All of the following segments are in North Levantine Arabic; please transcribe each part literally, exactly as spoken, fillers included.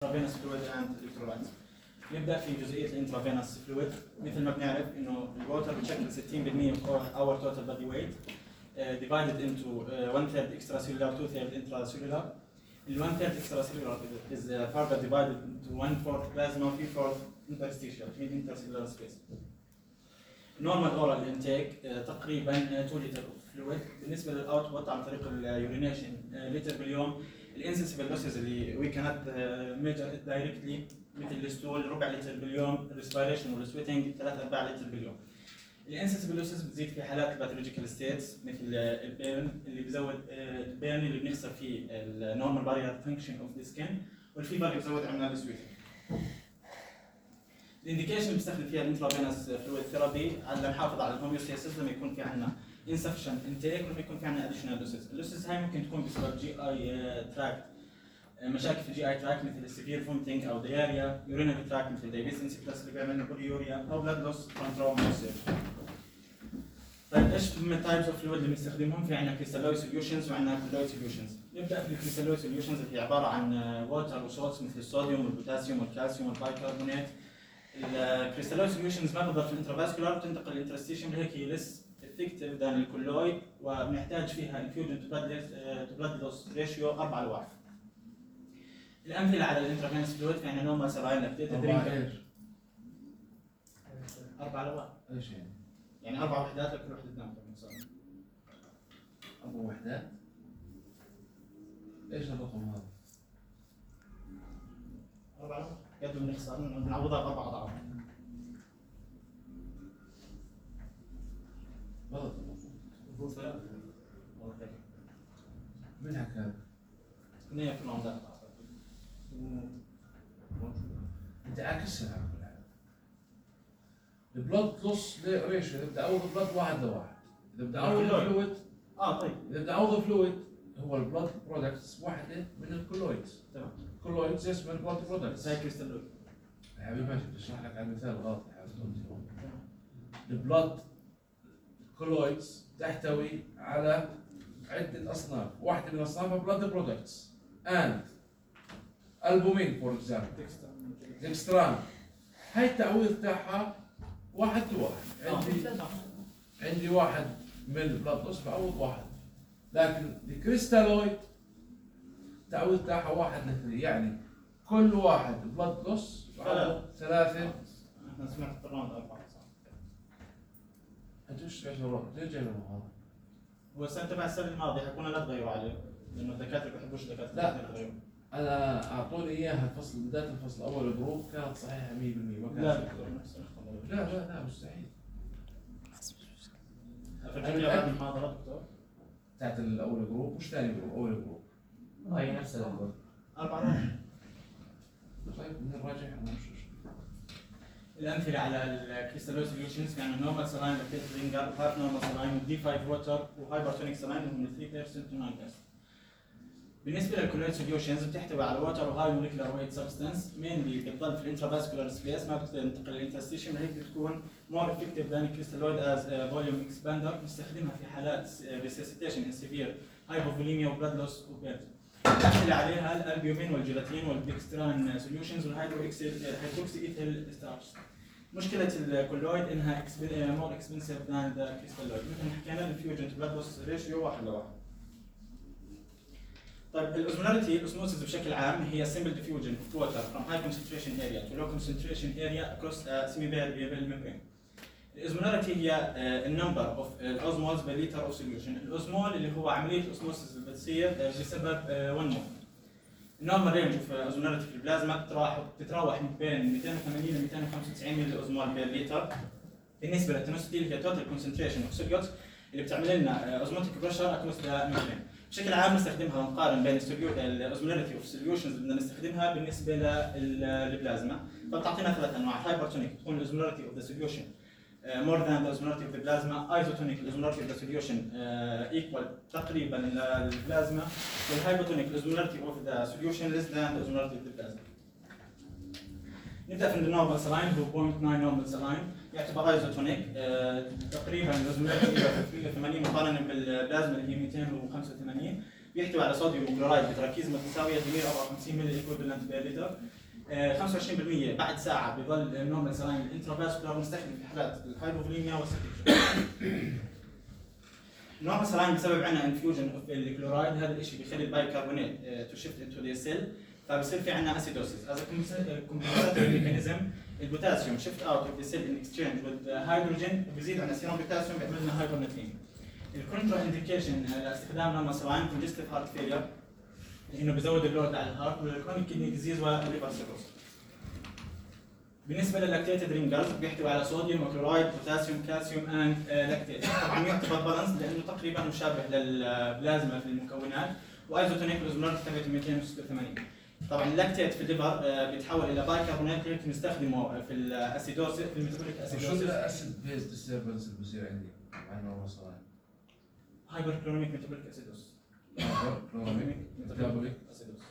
intravenous fluid and electrolytes. نبدا في جزئيه الانترافينوس فلويد. مثل ما بنعرف انه الووتر بتشكل ستين بالمئة of our total body weight uh, divided into uh, one third extracellular, two third intracellular. The one third extracellular is uh, further divided into one fourth plasma, three fourth interstitial, mean intercellular space. Normal oral intake uh, تقريبا two liter of fluid. بالنسبه للاوتبوت عن طريق اليورينيشن لتر باليوم. الانسنسبل لوسز اللي we cannot uh, measure it directly مثل الستول ربع لتر باليوم، الريسبيريشن والسويتنج ثلاثة أرباع لتر باليوم. الانسنسبل لوسز بتزيد في حالات الباثولوجيكال ستيتس مثل البيرن اللي بزود البيرن اللي بنخسر فيه النورمال بارير فانكشن اوف ذا سكين، والفيبر اللي بزود عندنا السويتنج. الانديكيشن اللي بنستخدم فيها الانترافينوس فلويد ثيرابي على نحافظ على الهوميوستاسيس لما يكون في عندنا insufficient intake ولما يكون في عندنا additional losses. اللوسز هاي ممكن تكون بسبب جي اي تراكت، مشاكل في الجي اي تراك مثل السيفير فومتنج او دياريا، يورينري تراك مثل دايبيتس انسيبتس اللي بيعمل لنا بوليوريا، او بلاد لوس فروم تروما. طيب ايش من التايبس اوف فلويد اللي بنستخدمهم؟ في عندنا كريستالويد سوليوشنز وعندنا كولويد سوليوشنز. نبدا في الكريستالويد سوليوشنز اللي هي عباره عن ووتر وسولتس مثل الصوديوم والبوتاسيوم والكالسيوم والبايكربونات. الكريستالويد سوليوشنز ما بتضل في الانترافاسكولار، بتنتقل للانترستيشن هيك هي لس افكتيف ذان الكولويد، وبنحتاج فيها انفيوجن تو بلاد لوس ريشيو أربعة لواحد. الأمثلة على الانترافينوس فلويد في عندنا نوما سراين لاكتيت درينك أربعة لواحد. ايش يعني؟ يعني أربع وحدات لكل وحدة تنام مثلا. أربع وحدات؟ ايش الرقم هذا؟ أربعة لواحد. قد بنخسر بنعوضها بأربع أضعاف. غلط المفروض ثلاثة. من حكى هذا؟ اثنين في العمدات. انت عاكسها على كل حال. البلد لوس ريشيو اذا بدي اعوض البلد واحد لواحد، اذا بدي اعوض الفلويد اه طيب اذا بدي اعوض الفلويد هو البلد برودكتس واحده من الكولويدز. تمام. الكولويدز اسمها البلد برودكتس. زي كريستالويد. يا حبيبي ماشي بدي اشرح لك على المثال الغلط يا حبيبي. البلد كولويدز تحتوي على عده اصناف، واحده من اصنافها بلد برودكتس and البومين فور اكزامبل ديكستران. هاي التعويض تاعها واحد لواحد. عندي عندي واحد من البلاد لوس بعوض واحد، لكن الكريستالويد التعويض تاعها واحد لاثنين، يعني كل واحد بلاد لوس بعوض ثلاثة. احنا سمعت الراوند أربعة صح؟ انت ايش ايش الرقم؟ ليش جايبه هذا؟ هو السنة تبع السنة الماضية حكونا لا تغيروا عليه، لأنه الدكاترة ما بيحبوش الدكاترة لا. يغيروا. انا اعطوني اياها الفصل بدايه الفصل اول جروب كانت صحيحه مية بالمية. ما لا كانت لا لا لا مستحيل. فرجيني المحاضرة دكتور. بتاعت الاول جروب مش ثاني جروب، اول جروب. هاي نفس الجروب. أربعة واحد. طيب نراجعها مش مشكلة. الأمثلة على الكريستالويد سوليوشنز يعني نورمال سلاين لاكتيت رينجر، هاف نورمال سلاين، دي خمسة ووتر، وهايبرتونيك سلاين من ثلاثة بالمئة تو تسعة بالمئة. بالنسبه للكولويد سوليوشنز بتحتوي على ووتر وهاي موليكولار ويت سبستانس، مينلي بتضل في الانترافاسكولار سبيس ما بتنتقل للانترستيشن، هيك بتكون مور افكتيف ذان الكريستالويد از فوليوم اكسباندر. بنستخدمها في حالات ريسيسيتيشن ان سيفير هايبوفوليميا وبلاد لوس وبيرت. الامثله عليها الالبيومين والجيلاتين والديكستران سوليوشنز والهيدرو هيدروكسي ايثيل ستارش. مشكله الكولويد انها مور اكسبنسيف ذان ذا كريستالويد، مثل ما حكينا الفيوجن تو بلاد لوس ريشيو واحد لواحد. طيب الاوزمولاريتي الاوزموسيس بشكل عام هي simple diffusion of water from high concentration area to low concentration area across a semi-permeable membrane. الاوزمولاريتي هي النمبر اوف الاوزمولز per liter of solution. الاوزمول اللي هو عمليه الاوزموسيس اللي بتصير بسبب واحد مول. النورمال رينج اوف اوزمولاريتي في البلازما بتتراوح بتتراوح من بين مئتين وثمانين ل مئتين وخمسة وتسعين ملي اوزمول per liter. بالنسبه للتنوستي اللي هي total concentration of solutes اللي بتعمل لنا اوزموتيك بريشر across the membrane. بشكل عام نستخدمها ونقارن بين الاوزمولاريتي اوف سوليوشنز اللي بدنا نستخدمها بالنسبه للبلازما، فبتعطينا ثلاث انواع. هايبرتونيك تكون الاوزمولاريتي اوف ذا سوليوشن مور ذان ذا اوزمولاريتي اوف ذا بلازما، ايزوتونيك الاوزمولاريتي اوف ذا سوليوشن ايكوال تقريبا للبلازما، والهايبوتونيك الاوزمولاريتي اوف ذا سوليوشن ليس ذان ذا اوزمولاريتي اوف ذا بلازما. نبدا في النورمال سلاين هو صفر فاصلة تسعة نورمال سلاين، يعتبر ايزوتونيك تقريبا الاوزمولاريتي ثمانية مقارنه بالبلازما اللي هي مئتين وخمسة وثمانين. بيحتوي على صوديوم وكلورايد بتركيز متساويه بمية وأربعة وخمسين ملي ايكوفالنت بير لتر. خمسة وعشرين بالمية بعد ساعه بيضل النورمال سلاين الانترافاسكولار مستخدم في حالات الهايبوفوليميا والسكتشن. النورمال سلاين بسبب عندنا انفيوجن اوف الكلورايد، هذا الشيء بيخلي البايكربونات تو شيفت انتو ذا سيل، فبصير في عندنا اسيدوسيس. هذا كومبنساتوري ميكانيزم. البوتاسيوم شيفت اوت اوف ذا سيل ان اكسشينج وذ هيدروجين، بيزيد عندنا سيروم بوتاسيوم بيعمل لنا هايبرناتريميا. الكونترا انديكيشن لاستخدام نورمال سلاين كونجستيف هارت فيلير، لانه بيزود اللود على الهارت، والكرونيك كيدني ديزيز والليفر سيروس. بالنسبه للاكتيتد رينجرز بيحتوي على صوديوم وكلورايد بوتاسيوم كالسيوم اند لاكتيت. طبعا يعتبر بالانس لانه تقريبا مشابه للبلازما في المكونات، وايزوتونيك اوزمولاريتي تبعته مئتين وستة وثمانين. طبعا اللاكتيت في الليفر بيتحول الى بايكربونات اللي بنستخدمه في الاسيدوسيس في الميتابوليك شو اسيدوسيس. الاسيد بيز ديستربنس اللي بصير عندي مع النورمال سلاين؟ هايبر كلوريميك ميتابوليك اسيدوس. كلوريميك ميتابوليك اسيدوس.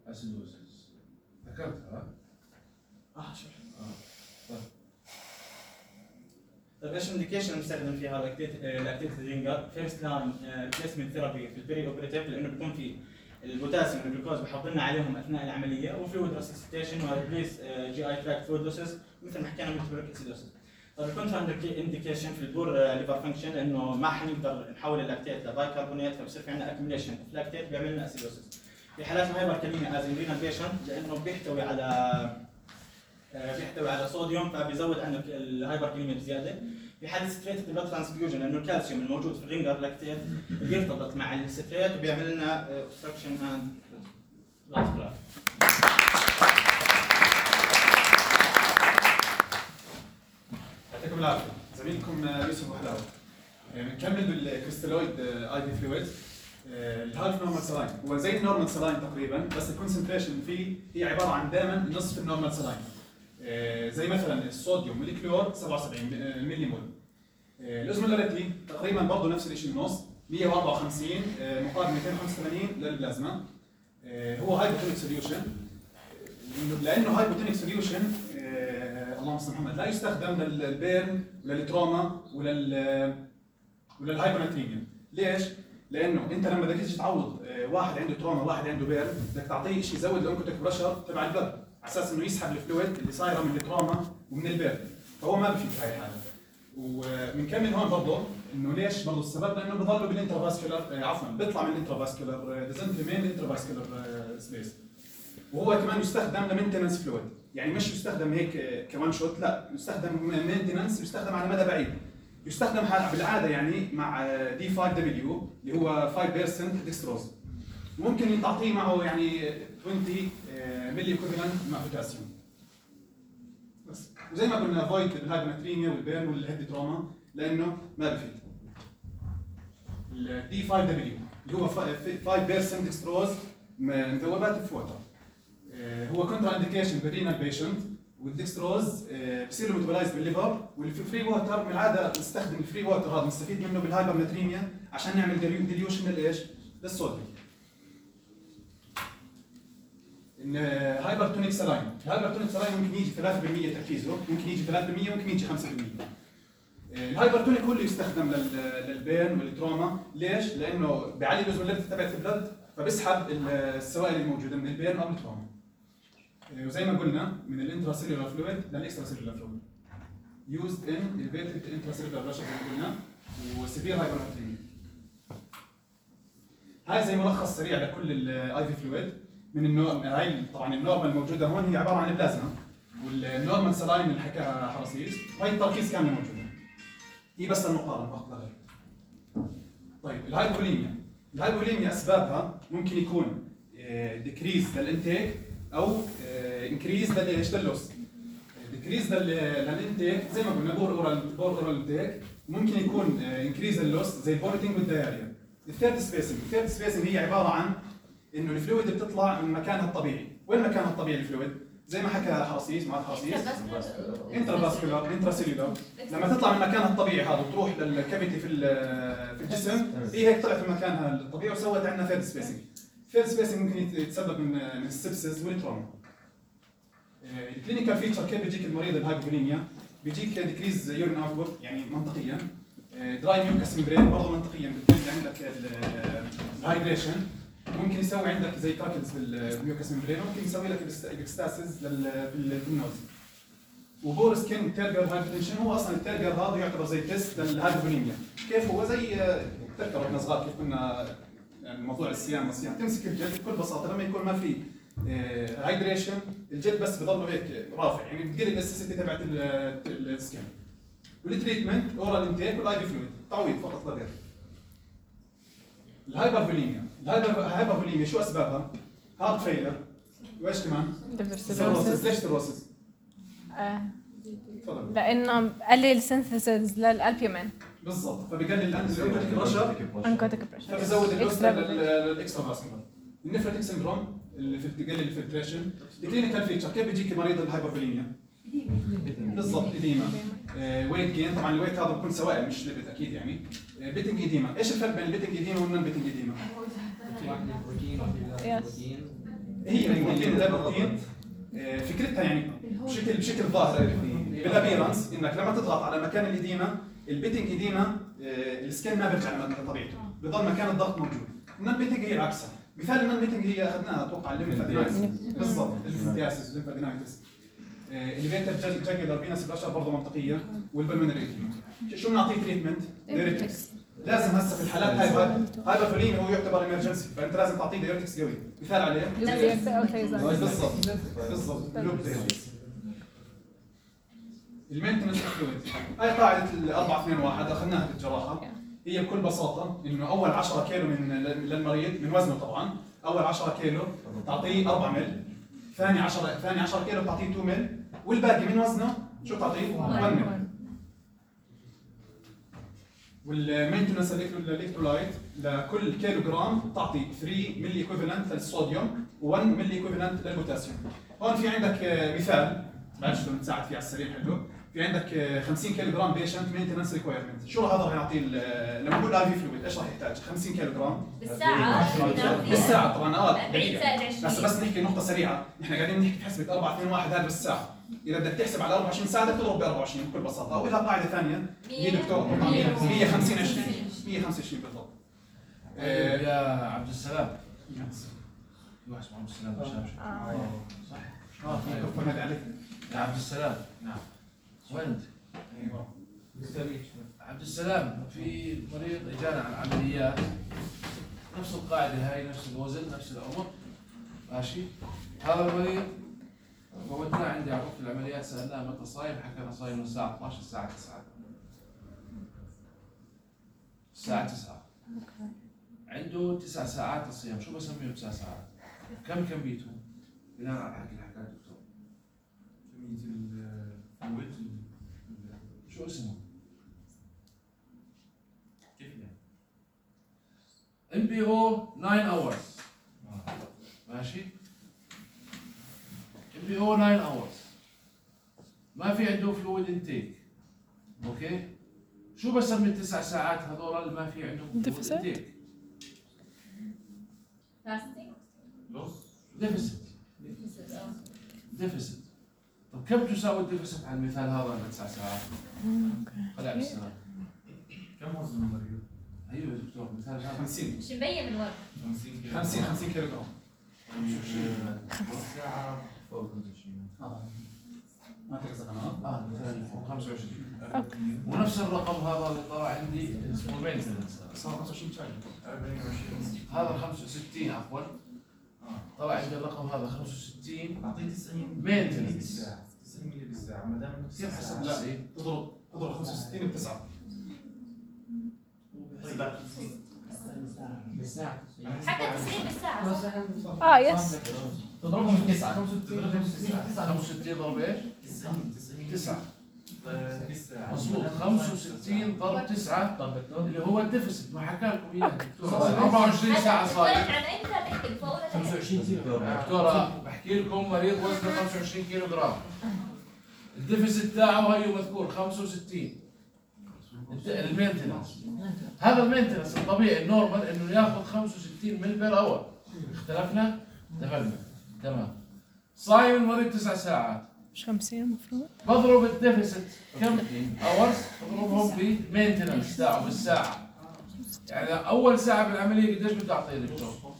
اسيدوسيس ذكرتها ها؟ اه شو اه طيب ايش الانديكيشن بنستخدم فيها لاكتيت رينجر؟ فيرست لاين ريبليسمنت ثيرابي في البري اوبريتيف، لانه بيكون في البوتاسيوم والجلوكوز بحط لنا عليهم اثناء العمليه، وفلويد ريسيستيشن وريبليس جي اي تراكت فلويدوسيس مثل ما حكينا ميتابوليك اسيدوسيس. طيب الكونترا انديكيشن في البور ليفر فانكشن، لانه ما حنقدر نحول اللاكتيت لبايكربونات، فبصير في عندنا اكيميليشن اوف لاكتيت بيعمل لنا اسيدوسيس. في حالات الهايبر كاليميا از رينال بيشنت، لانه بيحتوي على بيحتوي على صوديوم فبيزود عندك الهايبر كاليميا بزياده. في حاله ستريت بلاد ترانسفيوجن، لانه الكالسيوم الموجود في الرينجر لاكتيت بيرتبط مع الستريت وبيعمل لنا اوبستراكشن اند بلاد كلوت. يعطيكم العافيه. زميلكم يوسف وحلاوه. بنكمل بالكريستالويد اي بي فلويد. الهالف نورمال سلاين هو زي النورمال سلاين تقريبا، بس الكونسنتريشن فيه هي عباره عن دائما نصف النورمال سلاين. زي مثلا الصوديوم والكلور سبعة وسبعين ملي مول. الاوزمولاريتي تقريبا برضه نفس الشيء، النص مئة وأربعة وخمسين مقابل مئتين وخمسة وثمانين للبلازما. هو هايبوتونيك سوليوشن، لانه هايبوتونيك سوليوشن اللهم صل محمد لا يستخدم للبيرن وللتروما ولل وللهايبوناتريميا. ليش؟ لانه انت لما بدك تيجي تعوض واحد عنده تروما وواحد عنده بيرن، بدك تعطيه شيء يزود الاونكوتيك بريشر تبع البلد على اساس انه يسحب الفلويد اللي صايره من التروما ومن البيرن، فهو ما بفيد في هاي الحاله. وبنكمل هون برضه انه ليش برضه السبب؟ لانه بضلوا بالانترافاسكولار عفوا بيطلع من الانترافاسكولار ديزنت ريمين الانترافاسكولار سبيس، وهو كمان يستخدم لمينتنس فلويد، يعني مش يستخدم هيك كمان شوت، لا يستخدم مينتنس، يستخدم على مدى بعيد. يستخدم بالعاده يعني مع دي خمسة دبليو اللي هو خمسة بالمئة ديكستروز، ممكن تعطيه معه يعني عشرين ملي ايكوفالنت مع بوتاسيوم بس. وزي ما قلنا افويد بالهايبوناتريميا والبيرن والهيد تروما لانه ما بفيد. الدي خمسة دبليو اللي هو خمسة بالمئة ديكستروز مذوبات بفوتر، هو كونترا انديكيشن بالرينال بيشنت، والديكستروز بصير له ميتابولايز بالليفر، والفري ووتر من العاده نستخدم الفري ووتر هذا نستفيد منه بالهايبرناتريميا عشان نعمل ديليوشن للايش؟ للصوديوم. ان هايبرتونيك سلاين، الهايبرتونيك سلاين ممكن يجي ثلاثة بالمئة تركيزه، ممكن يجي ثلاثة بالمئة، ممكن يجي خمسة بالمئة. الهايبرتونيك هو اللي يستخدم للبين والتروما، ليش؟ لانه بيعلي الاوزمولاريتي تبعت البلد، فبيسحب السوائل الموجوده من البين او التروما. وزي ما قلنا من الانتراسيلولار فلويد للاكستراسيلولار فلويد. used in elevated intracellular pressure زي ما قلنا، وسيفير هايبرناتريميا. هاي زي ملخص سريع لكل الاي في فلويد. من النوع هاي طبعا النورمال الموجوده هون هي عباره عن البلازما، والنورمال سلاين اللي حكاها حرصيس، وهي التركيز كامله موجوده. هي بس المقارنه فقط لا غير. طيب الهايبوليميا، الهايبوليميا اسبابها ممكن يكون ديكريز للانتيك او انكريز للايش؟ لللوس. ديكريز للانتيك زي ما قلنا بور اورال بور اورال انتيك، ممكن يكون انكريز لللوس زي البورتنج والدايريا. الثيرد سبيسنج، الثيرد سبيسنج هي عباره عن انه الفلويد بتطلع من مكانها الطبيعي، وين مكانها الطبيعي الفلويد؟ زي ما حكى حرصيس مع حرصيس انترافاسكولار انتراسيلولار، لما تطلع من مكانها الطبيعي هذا وتروح للكافيتي في في الجسم، هي هيك طلعت من مكانها الطبيعي وسوت عندنا ثيرد سبيسنج. ثيرد سبيسنج ممكن يتسبب من من السبسس والتروما. الكلينيكال فيتشر كيف بيجيك المريض الهايبوفوليميا؟ بيجيك ديكريز يورين اوتبوت يعني منطقيا، دراي ميوكس ممبرين برضه منطقيا بتزيد عندك الهايدريشن، ممكن يسوي عندك زي كراكلز بالميوكس ممبرين، ممكن يسوي لك الاكستاسيس في النوز. وبور سكين تيرجر هايبرتنشن هو اصلا التيرجر هذا يعتبر زي تيست للهايبروليميا. كيف هو؟ زي تذكر واحنا صغار كيف كنا يعني موضوع الصيام والصيام، تمسك الجلد بكل بساطه لما يكون ما في هايدريشن الجلد بس بضله هيك رافع، يعني بتقل الاستيسيتي تبعت السكين. والتريتمنت اورال انتيك والاي في فلويد، تعويض فقط لا غير. الهايبرفوليميا، الهايبرفوليميا شو اسبابها؟ هارت فيلر، وايش كمان؟ سيروسيس. ليش سيروسيس؟ تفضل. لانه بقلل سينثيسيس للالبيومين بالضبط، فبقلل الانزيماتيك بريشر، انكوتيك بريشر، فبزود الوسط للاكسترا فاسكولار. النفرتيك سندروم اللي في بتقلل الفلتريشن. الكلينيكال فيتشر كيف بيجيك مريض الهايبرفوليميا؟ بالضبط إديما، ويت جين، طبعا الويت هذا بيكون سوائل مش ليبت اكيد يعني. بيتنج إديما، ايش الفرق بين البيتنج إديما والنون بيتنج إديما؟ هي البروتين ده بروتين فكرتها يعني بشكل بشكل ظاهر بالابيرنس انك لما تضغط على مكان الإديمة، البيتنج إديما السكين ما بيرجع لطبيعته، بضل مكان الضغط موجود. النون بيتنج هي عكسها، مثال النون بيتنج هي اخذناها اتوقع الليمفادينايتس بالضبط، الليمفادينايتس الليمفادينايتس الليفيتر جاكيولار فينس الاشهر برضه منطقيه، والبلمونري إديما. شو بنعطيه تريتمنت؟ دايركتكس. لازم هسه في الحالات هاي هايبرفوليميا هو يعتبر ايمرجنسي، فانت لازم تعطيه دايركتكس قوي. مثال عليه بالضبط بالضبط لوب دايركتكس. المينتنس فلويد هاي قاعده ال أربعة اثنين واحد اخذناها بالجراحه. هي بكل بساطه انه اول عشرة كيلو من للمريض من وزنه، طبعا اول عشرة كيلو تعطيه أربعة مل، ثاني عشرة ثاني عشرة كيلو تعطيه اثنين مل، والباقي من وزنه شو تعطيه؟ واحد مل. والمينتنس الالكترولايت لكل كيلو جرام تعطي ثلاثة ملي ايكوفالنت للصوديوم و1 ملي ايكوفالنت للبوتاسيوم. هون في عندك مثال بعد شو نساعد فيه على السريع حلو. في عندك خمسين كيلو جرام بيشنت مينتنس ريكويرمنت، شو هذا راح يعطيه لما نقول اي في فلويد ايش راح يحتاج؟ خمسين كيلو جرام بالساعة بالساعة طبعا اه أربعين زائد عشرين. بس بس نحكي نقطة سريعة، نحن قاعدين نحكي بحسبة أربعة اثنين واحد هذا بالساعة، إذا بدك تحسب على أربعة وعشرين ساعة بدك تضرب ب أربعة وعشرين بكل بساطة، أو إذا قاعدة ثانية هي دكتور مية وخمسين عشرين مية وخمسة وعشرين بالضبط. يا عبد السلام في واحد اسمه عبد السلام مشابش صح؟ اه كفنا عليك يا عبد السلام. نعم وين انت؟ ايوه عبد السلام، في مريض اجانا على العمليات نفس القاعده هاي، نفس الوزن نفس العمر ماشي. هذا المريض ودناه عندي على غرفه العمليات، سالناه متى صايم، حكى انا صايم من الساعه اثنعش الساعه تسعة الساعه تسعة. عنده تسع ساعات الصيام، شو بسميه تسع ساعات؟ كم كميته؟ بناء على الحكي اللي حكاه الدكتور. كمية الفلويد شو اسمه؟ كيف يعني؟ ام بي او تسعة اورز ماشي؟ ام بي او تسعة اورز ما في عنده فلويد انتيك. اوكي؟ شو بسمي التسع ساعات هذول اللي ما في عندهم فلويد انتيك؟ ديفيسيت. ديفيسيت. طب كم تساوي الديفيسيت على المثال هذا على تسع ساعات؟ خلي على السلام. كم وزن المريض؟ ايوه يا دكتور مثال هذا خمسين مش مبين من ورا. خمسين خمسين كيلو جرام. ساعة فوق خمسة وعشرين. ما تقصد انا اه مثال فوق خمسة وعشرين. ونفس الرقم هذا اللي طلع عندي اسمه مينتنس صار خمسة وعشرين شاي. أربعين وعشرين. هذا خمسة وستين عفوا. طلع عندي الرقم هذا خمسة وستين. أعطيه تسعين مينتنس بالساعة. تسعين ملي بالساعة ما دام كيف حسبت لا. تسعين؟ تضرب تضرب خمسة وستين بتسعة. بالساعة حتى تسعين بالساعة. اه يس تضربهم في تسعة خمسة وستين ضرب ايش؟ تسعين تسعين تسعة. بالساعة. مضبوط خمسة وستين ضرب تسعة طب دكتور اللي هو الديفيسيت ما حكى لكم اياه الدكتور. أربعة وعشرين ساعة صايم. عن امتى تحكي الفور؟ خمسة وعشرين كيلو دكتورة بحكي لكم مريض وزنه خمسة وعشرين كيلو جرام. الديفيسيت تاعه هيو مذكور خمسة وستين. المينتنس هذا المينتنس الطبيعي النورمال انه ياخذ خمسة وستين مل بير اور. اختلفنا؟ اتفقنا تمام. صايم المريض تسع ساعات، مش خمسين المفروض. بضرب الديفيسيت كم اورز؟ بضربهم بالمينتنس تاعه بالساعة. يعني اول ساعة بالعملية قديش بده اعطيه دكتور؟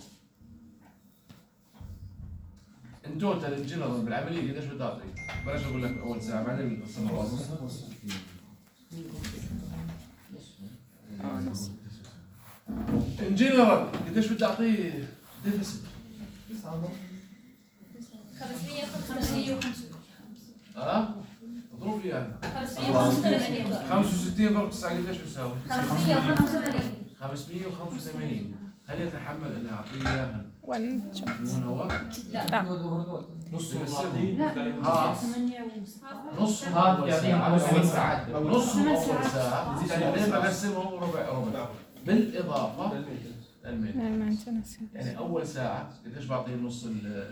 ان توتال الجنرال بالعمليه قديش بدي اعطي؟ بلاش اقول لك اول ساعه بعدين بنقسم الوظيفه. ان جنرال قديش بدي اعطيه ديفيسيت؟ خمسمية وخمسة وثمانين. اه؟ اضرب لي اياها. خمسمية وخمسة وثمانين. خمسة وستين ضرب تسعة قديش بيساوي؟ خمسمية وخمسة وثمانين. خمسمية وخمسة وثمانين. هل يتحمل اني اعطيه اياها وان من هو؟ لا نص ها نص هذا اول يعطيهم ساعه اول ثمان ساعات نص اول ساعه بعدين بقسمهم ربع ربع بالاضافه للميل. المينتنس يعني اول ساعه قديش بعطيه نص ال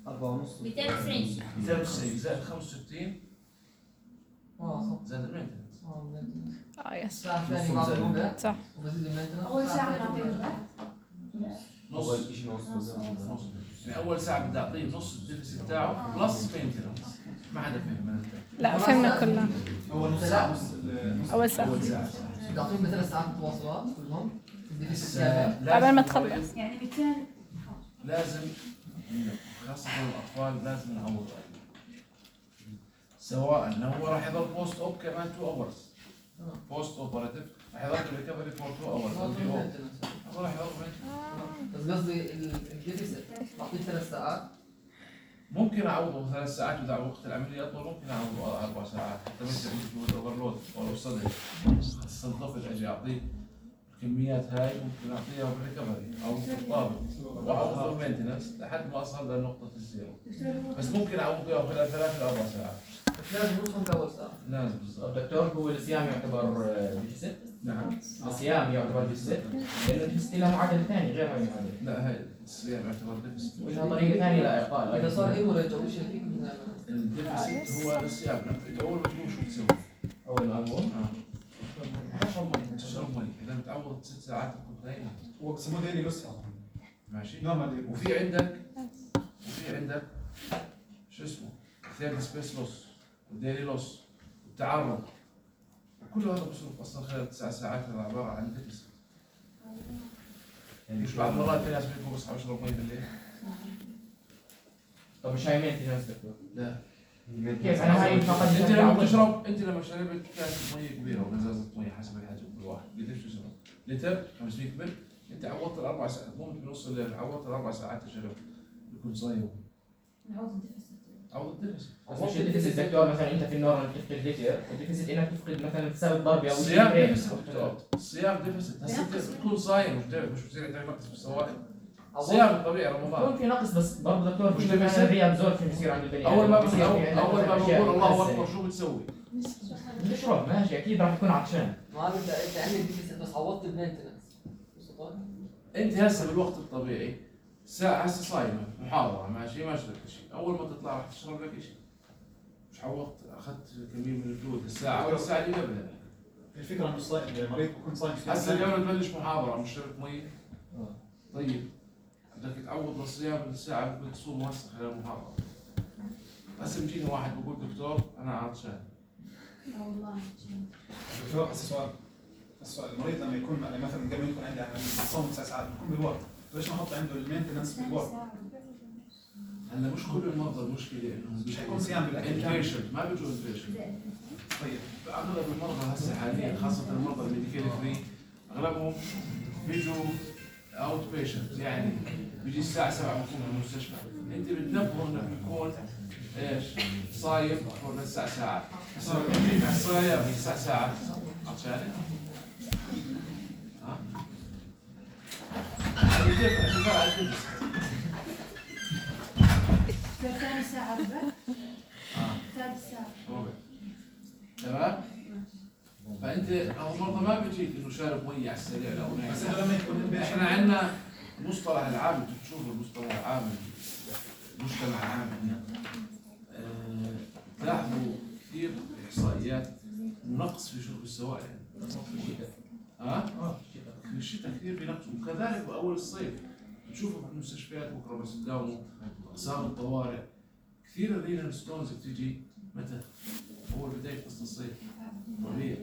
أربعة ونص مئتين وتسعين. مئتين وتسعين زائد خمسة وستين زائد المينتنس. اه يس الساعة الثانية بعد الربع صح وبزيد المينتنس. أول ساعة نعطيه نص أول شيء نص نص يعني اول ساعه بدي اعطيه نص الديفيسيت تاعه بلس مينتنس. ما حدا فهم انا. لا فهمنا كلها اول نص ساعه نص ال- نص اول ساعة اول ساعه بدي أعطيهم ثلاث ساعات متواصلات كلهم. بدي بس في كامل. قبل ما لازم تخلص يعني مئتين. لازم خاصة الأطفال لازم نعوض سواء إنه هو راح يضل بوست أوب كمان تو أورز بوست أوبراتيف راح يضل ريكفري فور تو أورز البي أو هذا راح يضل بس قصدي الديفيسيت بعطيه ثلاث ساعات. ممكن أعوضه ثلاث ساعات وإذا وقت العملية أطول ممكن أعوضه أربع ساعات حتى مثل عندك أوفرلود أو صدر خاصة الطفل أجي أعطيه الكميات هاي ممكن أعطيها بالريكفري أو بالطابق وأعوضه بالمينتنس لحد ما أصل لنقطة الزيرو بس ممكن أعوضه خلال ثلاث إلى أربع ساعات. بس لازم نوصل بأول ساعة. لازم بالضبط. الدكتور هو الصيام يعتبر ديفيسيت؟ نعم. الصيام يعتبر ديفيسيت؟ لأنه الديفيسيت له معادلة ثانية غير هاي المعادلة. لا هاي الصيام يعتبر ديفيسيت. ولها طريقة ثانية لإعطاء إذا صار هيموريج أو شيء فيك من الديفيسيت هو الصيام أنت أول ما تقوم شو تسوي؟ أول ما أقوم تشرب مي تشرب مي إذا بتعوض ست ساعات تكون نايم هو بسموه ديلي لوس ماشي. نورمال. وفي عندك وفي عندك شو اسمه ثيرد سبيس لوس وديلي لوس والتعرض كل هذا بصرف اصلا خلال تسع ساعات هذا عباره عن ديفيسيت. يعني مش بعض المرات في ناس بيقولوا بصحى بشرب مي بالليل. طب مش هاي مينتنس دكتور؟ لا كيف أنا هاي فقط انت لما بتشرب انت لما شربت كاسه مي كبيره وغزازه مي حسب الحجم كل واحد قديش بتشرب؟ لتر خمسمية مل انت عوضت الاربع ساعات مو بنص الليل عوضت الاربع ساعات الشرب بيكون صايم. نعوض الديفيسيت. عوض الديفيسيت. بس مش الديفيسيت دكتور مثلا أنت في النورمال تفقد لتر، الديفيسيت إنك تفقد مثلا تساوي ضربة أو الصيام شيء. ديفيسيت دكتور. الصيام ديفيسيت هسه انت بتكون صايم مش مش بتصير عندك نقص بالسوائل. صيام طبيعي بكون رمضان. في نقص بس برضه دكتور مش في ديفيسيت. مثلا ري ابزوربشن بصير عند البني اول ما بصير اول في عندك اول ما أشياء بقول الله بتأثر. اكبر شو بتسوي؟ بتشرب ماشي أكيد راح يكون عطشان. ما انت انت عندك ديفيسيت بس عوضت المينتنس. انت هسه بالوقت الطبيعي ساعة هسه صايمة محاضرة ماشي ما شربت شيء، أول ما تطلع راح تشرب لك شيء. مش عوضت أخذت كمية من الفلويد الساعة ولا الساعة اللي قبلها. الفكره انه صايم المريض بيكون صايم فيها. هسه اليوم تبلش محاضرة مش شربت مي. طيب بدك تعوض الصيام الساعة بدك تصوم هسه خلال المحاضرة. هسه بيجيني واحد بقول دكتور أنا عطشان. والله. دكتور هسه سؤال السؤال المريض لما يكون مثلا قبل يكون عنده عمليه صوم تسع ساعات بيكون بالورك، ليش ما احط عنده المينتنس بالورك؟ هلا مش كل المرضى المشكلة إنهم مش حيكون صيام بالاكل كامل. انفيشنت ما بيجوا انفيشنت. طيب اغلب المرضى هسه حاليا خاصه المرضى الميديكال فري اغلبهم بيجوا اوت بيشنت يعني بيجي الساعه سبعة بكون بالمستشفى انت بتنبهه انه بيكون ايش صايم فوق الساعه ساعات صايم تسع ساعات عشان ها ثاني ساعة ربع. ثالث ساعة. تمام فانت او برضه ما بيجيك انه شارب مي على السريع لو نايم. بس هذا لما يكون احنا عندنا مصطلح العام انتم بتشوفوا المصطلح العام المجتمع العام هنا أه تلاحظوا كثير احصائيات نقص في شرب السوائل. ها؟ في الشتاء كثير بنقص وكذلك باول الصيف بتشوفوا في المستشفيات بكره بس تداوموا اقسام الطوارئ كثير الرينال ستونز بتيجي متى؟ اول بدايه فصل الصيف ربيع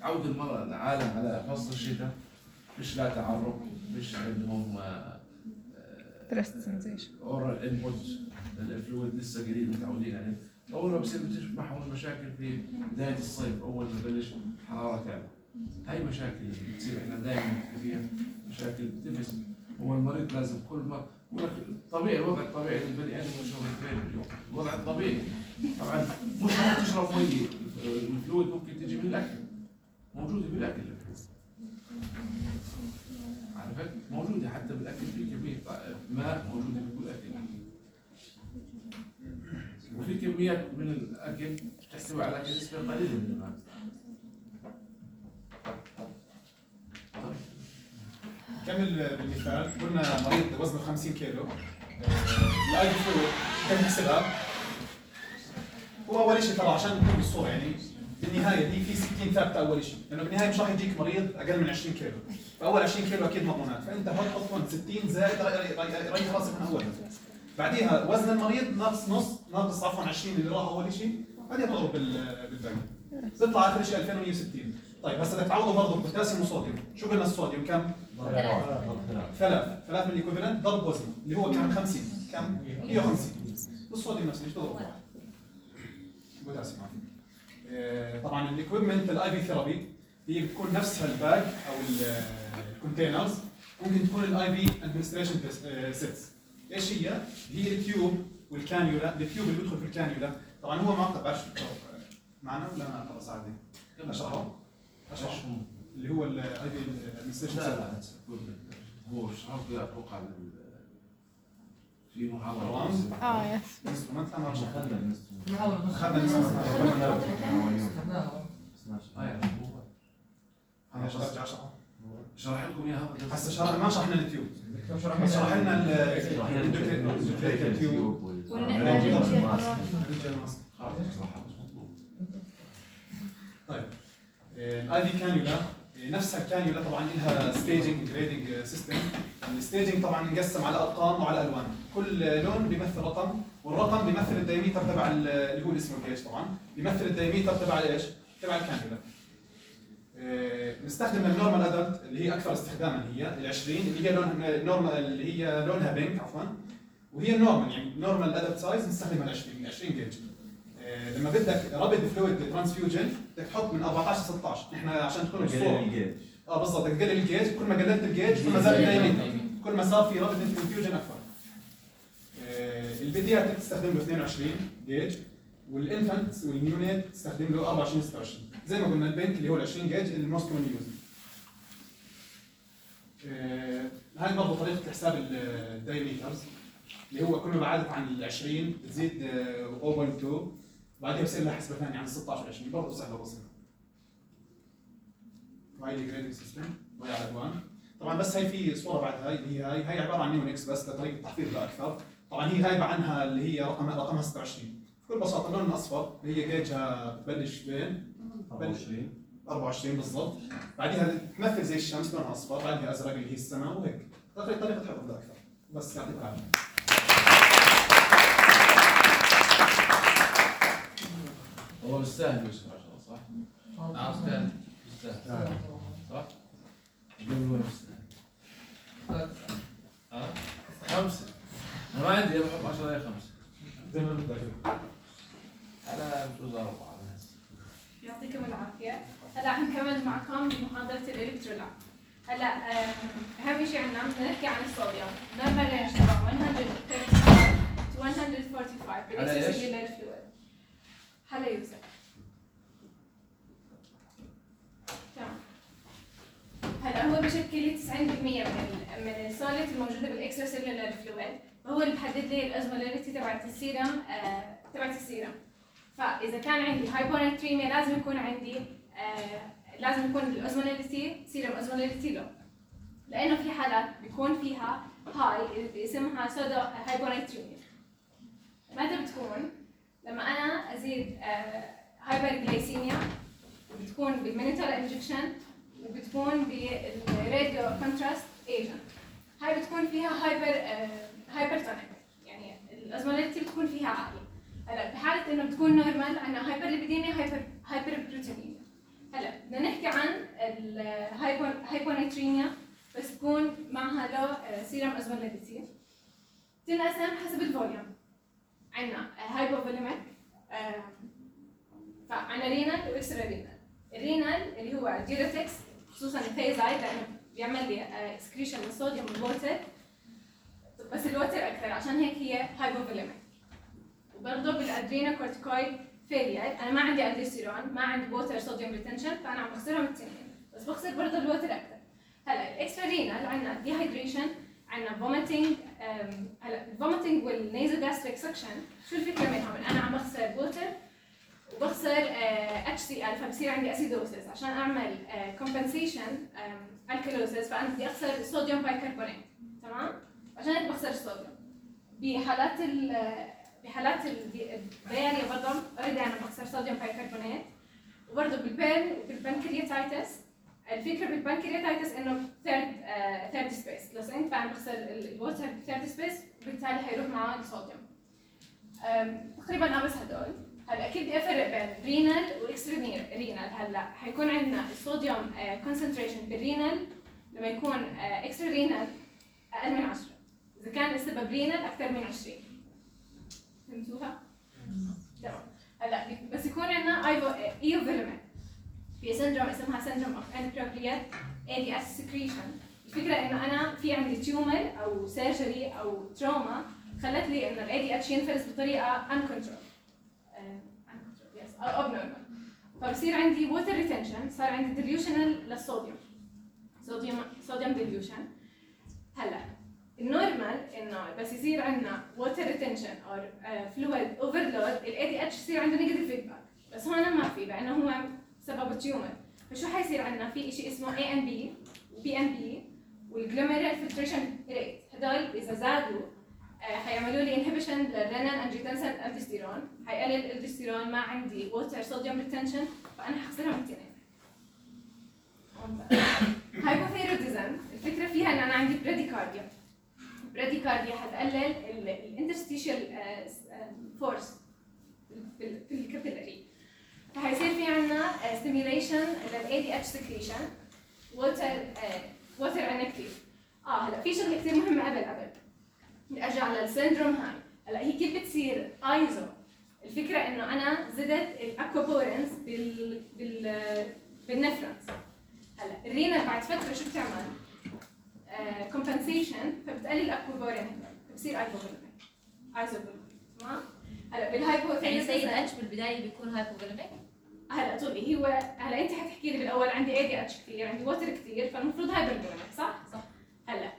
تعود المرأة العالم على فصل الشتاء مش لا تعرق مش عندهم بريست سنسيشن. اورال انبوت الفلويد لسه جديد متعودين عليه. اول ما بصير بتشوف معهم المشاكل في بدايه الصيف اول ما تبلش حراره تعلى. هاي مشاكل اللي بتصير احنا دائما فيها مشاكل تنفس. هو المريض لازم كل ما طبيعي الوضع الطبيعي للبني ادم يشرب باليوم، الوضع الطبيعي طبعا مش شرط تشرب مي، الفلويد ممكن تجي من الاكل، موجوده بالاكل عرفت؟ موجوده حتى بالاكل في كميه ماء موجوده بكل اكل. وفي كميات من الاكل تحتوي على نسبه قليله من الماء. كمل بالمثال، قلنا مريض وزنه خمسين كيلو، الاي في فلويد كم يحسبها؟ هو اول شيء ترى عشان نكون بالصوره يعني بالنهايه دي في ستين ثابته اول شيء، لانه بالنهايه مش راح يجيك مريض اقل من عشرين كيلو، فاول عشرين كيلو اكيد مضمونات، فانت حط هون ستين زائد ريح راسك من اولها. بعديها وزن المريض ناقص نص ناقص عفوا عشرين اللي راح اول شيء، بعدين تضرب بالباقي. بيطلع اخر شيء ألفين ومية وستين. طيب هسه بدك تعوضه برضه بوتاسيوم وصوديوم، شو قلنا الصوديوم كم؟ ثلاث ثلاث من الايكوفالنت ضرب وزنه اللي هو كم خمسين، كم؟ مية وخمسين. والصوديوم نفس الشيء تضرب واحد. بوتاسيوم عفوا. طبعا الايكويبمنت الاي في ثيرابي هي بتكون نفسها الباج او الكونتينرز، ممكن تكون الاي في ادمنستريشن سيتس. ايش هي؟ هي التيوب والكانيولا، التيوب اللي بيدخل في الكانيولا، طبعا هو معقد بعرفش معنا ولا انا خلص عادي؟ اشرحه؟ اشرحه اللي هو الاي في ادمنستريشن لا لا هو شرط اتوقع في محاضره اه يس انسترومنت انا ارجع محاولة خدنا الانسترومنت خدناها. انا ارجع اشرحه شرح لكم اياها هسه شرح ما شرحنا التيوب بس شرح لنا التيوب طيب الاي في كانيولا نفسها الكانيولا طبعا لها ستيجنج جريدنج سيستم. الستيجنج طبعا انقسم على ارقام وعلى الوان، كل لون بيمثل رقم، والرقم بيمثل الدايمتر تبع اللي هو اسمه الجيج، طبعا بيمثل الدايمتر تبع ايش؟ تبع الكانيولا. نستخدم النورمال ادلت اللي هي اكثر استخداما، هي ال عشرين اللي هي لونها النورمال اللي هي لونها بينك عفوا، وهي النورمال يعني نورمال ادلت سايز نستخدمها ال عشرين عشرين جيج. لما بدك رابيد فلويد ترانسفيوجن بدك تحط من أربعة عشر ستة عشر، احنا عشان تكون الصوره اه بالضبط بدك تقلل الجيج، كل ما قللت الجيج كل ما زاد الدايمتر، كل ما صار في رابيد انفيوجن اكثر. البيدياتريك تستخدم له اثنين وعشرين جيج، والانفانت والنيونيت تستخدم له أربعة وعشرين ستة وعشرين، زي ما قلنا البنك اللي هو ال عشرين جيج الموست كومن يوز. هاي برضه طريقه حساب الدايمترز اللي هو كل ما بعدت عن ال عشرين بتزيد صفر فاصلة اثنين، بعدين بصير لها حسبه ثانيه عن ستة عشر عشرين، برضه سهله بسيطه. وهي الجريدنج سيستم وهي على الوان. طبعا بس هي في صوره بعد هاي اللي هي هاي هي عباره عن نيونكس بس لطريقه تحفيظ لا اكثر. طبعا هي غايبه عنها اللي هي رقم رقمها ستة وعشرين. بكل بساطه اللون الاصفر اللي هي جيجها بتبلش بين أربعة وعشرين أربعة وعشرين بالضبط، بعدها تمثل زي الشمس لونها اصفر، بعدها ازرق اللي هي السماء، وهيك طريقه حفظ لا اكثر. بس يعطيك العافيه. هو مستاهل يوسف ما شاء الله صح؟ اه استاذ مستاهل صح؟ قبل هو مستاهل ها؟ خمسة أنا ما عندي بحط عشرة هي خمسة زي ما بدك. أنا بجوز أربعة. يعطيكم العافية. هلا حنكمل معكم بمحاضرة الإلكترولات. هلا أهم شيء عندنا بنحكي عن الصوديوم. نورمال رينج تبع مية وثلاثة وخمسين to مية وأربعة وخمسين بالإكسترسيلولار فلويد. هلا يوسف. تمام. هلا هو بشكل تسعين بالمية من من السوليد الموجودة بالإكسترسيلولار فلويد، وهو اللي بحدد لي الأوزمولاريتي تبعت السيرم آه تبعت السيرم. فإذا كان عندي هايبوناتريميا لازم يكون عندي آه لازم يكون الأوزمولاريتي سيرم أوزمولاريتي لو، لأنه في حالات بيكون فيها هاي اسمها سودا هايبوناتريميا. متى بتكون؟ لما أنا أزيد آه هايبرغلايسيميا، بتكون بالمينيتال انجكشن وبتكون بالراديو كونتراست ايجنت. هاي بتكون فيها هايبر آه هايبرتونيك، يعني الأوزمولاريتي بتكون فيها عالية. هلا بحالة إنه بتكون نورمال عندنا هايبر ليبيديميا هايبر هايبر بروتينيميا. هلا بدنا نحكي عن الهايبوناتريميا بس تكون معها لو سيرم اوزمولاريتي. تنقسم حسب الفوليوم. عندنا هايبوفوليميك، فعندنا رينال واكسترا رينال. الرينال اللي هو ديوريتكس خصوصا الثيازايد لانه بيعمل لي اكسكريشن للصوديوم والووتر، بس الووتر اكثر عشان هيك هي هايبوفوليميك. وبرضه بالادرينا كورتيكويد فيلير انا ما عندي الدوستيرون، ما عندي ووتر صوديوم ريتنشن، فانا عم بخسرهم الاثنين، بس بخسر برضه الووتر اكثر. هلا الاكسترا رينال عندنا ديهايدريشن، عندنا فوميتنج. هلا الفوميتنج والنيزل جاستريك سكشن شو الفكره منهم؟ انا عم بخسر ووتر وبخسر اتش سي ال، فبصير عندي اسيدوسيس. عشان اعمل كومبنسيشن الكالوسيس فانا بدي اخسر الصوديوم بايكربونات، تمام؟ عشان هيك بخسر الصوديوم. بحالات ال بحالات الدياريا برضه اوريدي انا بخسر صوديوم بايكربونات. وبرضه بالبين بالبنكرياتايتس، الفكره بالبنكرياتايتس انه ثيرد ثيرد سبيس، لو سئنت فانا بخسر الووتر ثيرد سبيس وبالتالي حيروح معه الصوديوم. تقريبا اه بس هدول. هلا اكيد بدي افرق بين رينال واكسترا رينال. هلا حيكون عندنا الصوديوم كونسنتريشن بالرينال لما يكون اكسترا رينال اقل من عشرة، اذا كان السبب رينال اكثر من عشرين. فهمتوها؟ تمام. هلا بس يكون عندنا ايوفيلمنت في سندروم اسمها سندروم اوف انابروبريت اي دي اس سكريشن. الفكره انه انا في عندي تيومر او سيرجري او تروما خلت لي انه الاي دي اتش ينفرز بطريقه انكنترول او ابنورمال، فبصير عندي ووتر ريتنشن، صار عندي ديليوشنال للصوديوم، صوديوم صوديوم ديليوشن. هلا النورمال انه بس يصير عندنا ووتر ريتنشن او فلويد اوفرلود الاي دي اتش يصير عنده نيجاتيف فيدباك، بس هون ما في لانه هو سبب التيومر. فشو حيصير عندنا؟ في شيء اسمه اي ان بي وبي ان بي والجلوميرال فلتريشن ريت، هدول اذا زادوا حيعملوا لي انهبيشن للرينال انجيوتنسين الدوستيرون، حيقلل الدوستيرون، ما عندي ووتر صوديوم ريتنشن، فانا حخسرهم الاثنين. هايبوثايروديزم الفكره فيها ان انا عندي براديكارديا. براديكارديا حتقلل الانترستيشال فورس في الكابيلاري، فحيصير في عندنا ستيميوليشن للاي دي اتش سكريشن، ووتر ووتر عندنا كثير. اه هلا في شغله كثير مهمه قبل قبل ارجع للسندروم هاي. هلا هي كيف بتصير ايزو؟ الفكره انه انا زدت الاكوابورنز بال بال بالنفرنس. هلا الرينا بعد فتره شو بتعمل؟ كومبنسيشن، فبتقلل الاكوابورن، فبصير ايزوفوليميك. ايزوفوليميك تمام؟ هلا بالهايبوثايرويد يعني سيد اتش بالبدايه بيكون هايبوفوليميك. هلا طولي هو هلا انت حتحكي لي بالاول عندي اي دي اتش كثير، عندي ووتر كثير، فالمفروض هايبرفوليميك صح؟ صح. هلا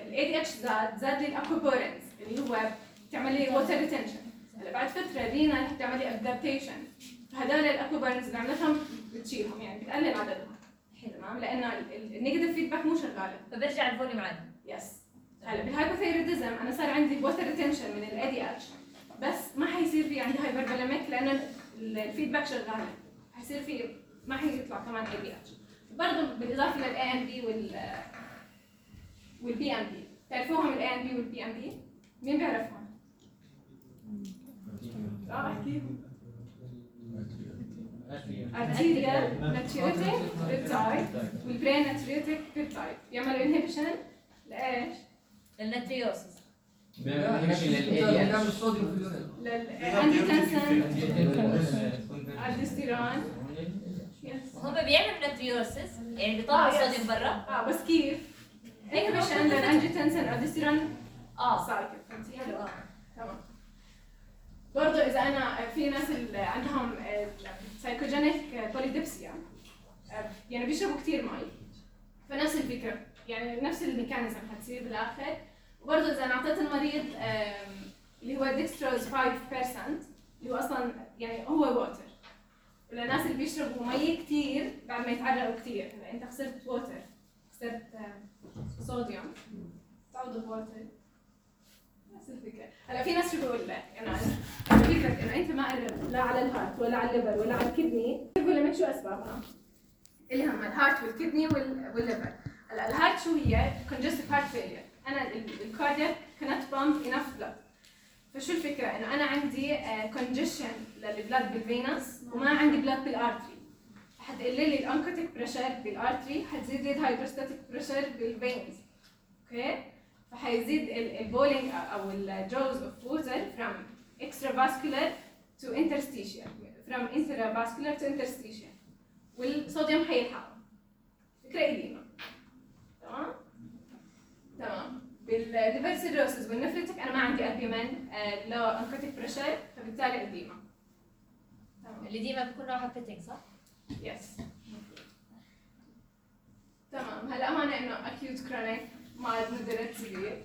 الاي دي اتش زاد زاد لي الاكوابورنز اللي هو بتعمل لي ووتر ريتنشن. هلا بعد فتره رينا بتعمل لي ادابتيشن، فهدول الاكوابورنز اللي عملتهم بتشيلهم، يعني بتقلل عددهم. تمام؟ لانه النيجاتيف فيدباك مو شغاله، فبرجع الفوليوم عادي. يس. هلا بالهايبوثايروديزم انا صار عندي ووتر ريتنشن من الاي دي اتش، بس ما حيصير في عندي هايبرفوليميك لانه الفيدباك شغاله، حيصير في ما حيطلع كمان اي دي اتش. برضه بالاضافه للاي ان بي وال والبي ام بي. تعرفوهم الاي ان بي والبي ام بي؟ مين بيعرفهم؟ اه احكيهم. ارتيريال ناتريوتيك بيبتايد والبرين ناتريوتيك بيبتايد بيعملوا انهبيشن لايش؟ للناتريوسس. بيعمل للاي دي اتش، الصوديوم في اليورين. للانجيوتنسين الدوستيرون. هم بيعملوا ناتريوسس يعني بيطلعوا الصوديوم برا. اه بس كيف؟ انهبيشن للانجيوتنسين الدوستيرون اه سايكل. فهمتي؟ حلو اه تمام. برضه اذا انا في ناس اللي عندهم سايكوجينيك بوليدبسيا يعني بيشربوا كثير مي، فنفس الفكره يعني نفس الميكانيزم حتصير بالاخر. وبرضه اذا انا اعطيت المريض اللي هو ديكستروز خمسة بالمية اللي هو اصلا يعني هو ووتر، وللناس اللي بيشربوا مي كثير بعد ما يتعرقوا كثير، هلا انت خسرت ووتر، خسرت صوديوم، تعوضوا بوتر، نفس الفكره. هلا في ناس شو بقول لك انا فكره انه انت ما قرب لا على الهارت ولا على الليفر ولا على الكدني، بقول لك شو اسبابها؟ اللي هم الهارت والكدني والليفر. هلا الهارت شو هي؟ congestive heart failure. انا الكاردياك cannot pump enough blood. فشو الفكره؟ انه انا عندي congestion للبلاد بالفينس وما عندي بلاد بالارتري، حتقلل لي الانكوتيك بريشر بالارتري، حتزيد لي الهايدروستاتيك بريشر بالفينز. اوكي؟ فحيزيد البولينج او الجوز اوف ووتر from extravascular to interstitial from intravascular to interstitial والصوديوم حيلحقه. فكرة قديمة. تمام؟ تمام. بالديفيرس سيروسز والنفرتك انا ما عندي البيومين آه لو انكوتيك بريشر فبالتالي قديمة. تمام. اللي ديما بيكون نوعها بيتنج صح؟ يس. تمام. هلا هون انه اكيوت كرونيك مايلد مودريت سيفير.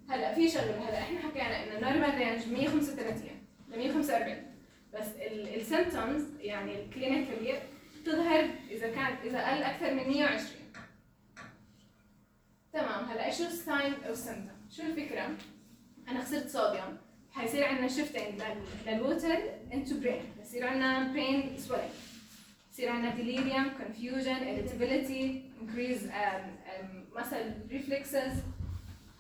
هلا في شغله هلا احنا حكينا انه نورمال رينج مية وخمسة وثلاثين ل مية وخمسة وأربعين بس السيمبتومز يعني الكلينيكالي تظهر اذا كان اذا قل اكثر من مية وعشرين. تمام. هلا شو الساين او السيمبتوم؟ شو الفكره؟ انا خسرت صوديوم حيصير عندنا شيفتنج للووتر انتو برين، بصير عندنا برين سويلنج، بصير عندنا delirium, confusion, irritability, increase um, um, muscle reflexes,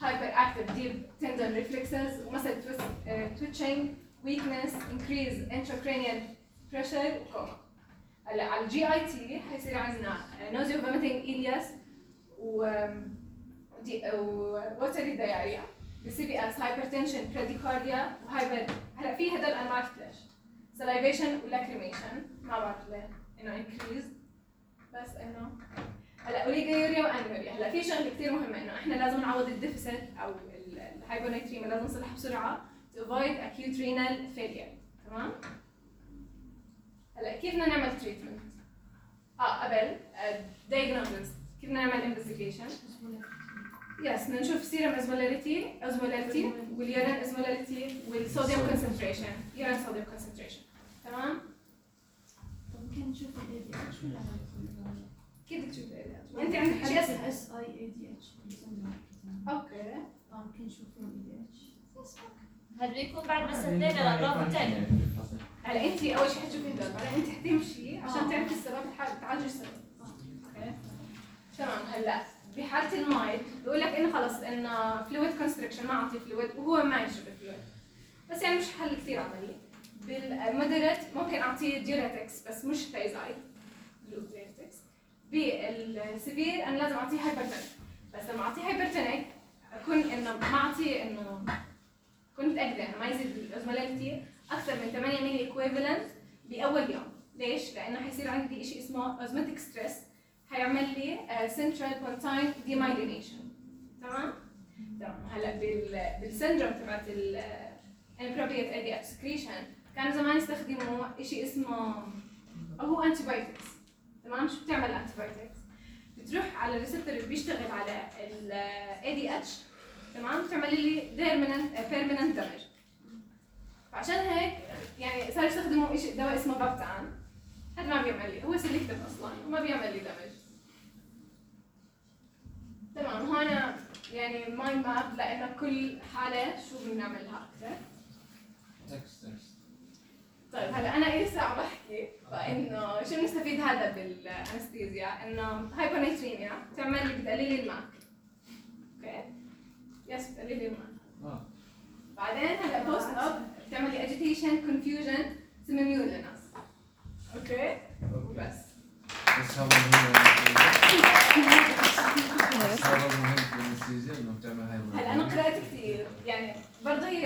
hyperactive deep tendon reflexes, muscle twist, uh, twitching, weakness, increase intracranial pressure, وكوما. هلا على الجي اي تي حيصير عندنا nausea vomiting ileus و watery diarrhea، بالسي بي اس hypertension, bradycardia وهايبر. هلا في هدول انا ما عرفت ليش. salivation ولacrimation ما بعرف ليه انه increase بس انه هلا اوليجوريا وانوريا. هلا في شغله كثير مهمه انه احنا لازم نعوض الديفيسيت او الهايبونيتريميا لازم نصلحها بسرعه to avoid acute renal failure. تمام. هلا كيف بدنا نعمل تريتمنت؟ اه قبل diagnosis كيف بدنا نعمل investigation؟ يس بدنا نشوف سيرم اسمولاريتي اسمولاريتي واليورين اسمولاريتي والصوديوم كونسنتريشن يورين صوديوم كونسنتريشن. تمام. ممكن نشوف ال إيه دي إتش ولا كيف بدك تشوف ال إيه دي إتش؟ انت عندك حاجه اس اي إيه دي إتش. اوكي. اه ممكن نشوف ال إيه دي إتش. هذا بيكون بعد ما سدينا الاطراف الثانيه. هلا انت اول شيء حتشوفي هدول بعدين انت حتمشي عشان تعرفي السبب الحال تعالجي السبب. اوكي. تمام. هلا بحاله المايل بقول لك انه خلص انه فلويد كونستريكشن ما اعطي فلويد وهو ما يشرب فلويد بس يعني مش حل كثير عملي. بالمودريت ممكن اعطيه ديوريتكس بس مش ثايزايد ديوريتكس. بالسيفير انا لازم اعطيه هايبرتونيك بس لما اعطيه هايبرتونيك اكون انه ما اعطيه انه كنت متاكده انه ما يزيد الاوزمولاريتي اكثر من ثمانية ملي ايكويفالنت باول يوم. ليش؟ لانه حيصير عندي شيء اسمه اوزماتيك ستريس حيعمل لي سنترال بونتاين ديمايلينيشن. تمام؟ تمام. هلا بال بالسندروم تبعت الانابروبريت اي دي اتش سكريشن كانوا زمان يستخدموا شيء اسمه هو انتي بايوتكس. تمام. شو بتعمل انتي بايوتكس؟ بتروح على الريسبتور اللي بيشتغل على ال إيه دي إتش. تمام. بتعمل لي بيرمننت بيرمننت دامج. فعشان هيك يعني صار يستخدموا شيء دواء اسمه بابتان. هذا ما بيعمل لي هو سيلكتيف اصلا وما بيعمل لي دامج. تمام. هون يعني مايند ماب لانه كل حاله شو بنعملها اكثر. طيب هلا انا لي ساعه بحكي فانه شو بنستفيد هذا بالانستيزيا انه هايبونيتريميا بتعمل لي بتقلل لي الماء. اوكي. يس بتقلل لي الماء. اه بعدين هلا بوست اب بتعمل لي اجيتيشن كونفيوجن سيميولينس. اوكي وبس. بس هذا مهم بس هذا مهم بالانستيزيا انه بتعمل هاي. هلا انا قرأت كثير يعني برضه هي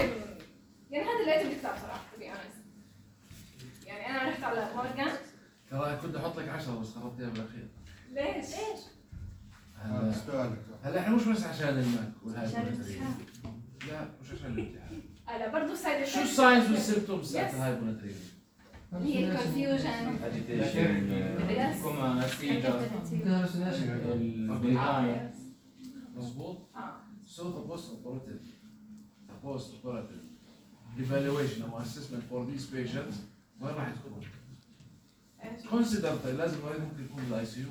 يعني هذا اللي لقيته بالكتاب صراحه to be honest. يعني انا رحت على مورجان ترى كنت احط لك عشرة بس خربتيها بالاخير. ليش؟ ليش؟ هلا هلا احنا مش بس عشان الماك والهاي لا مش عشان الامتحان. هلا برضه سايد شو الساينز والسيمبتومز تاعت الهايبوناتريميا؟ هي الكونفيوجن اجيتيشن كوما سيجر البناين. مظبوط؟ اه so the post operative the post operative evaluation or assessment for these patients وين راح تكون؟ consider لازم المريض ممكن يكون بالاي سي يو.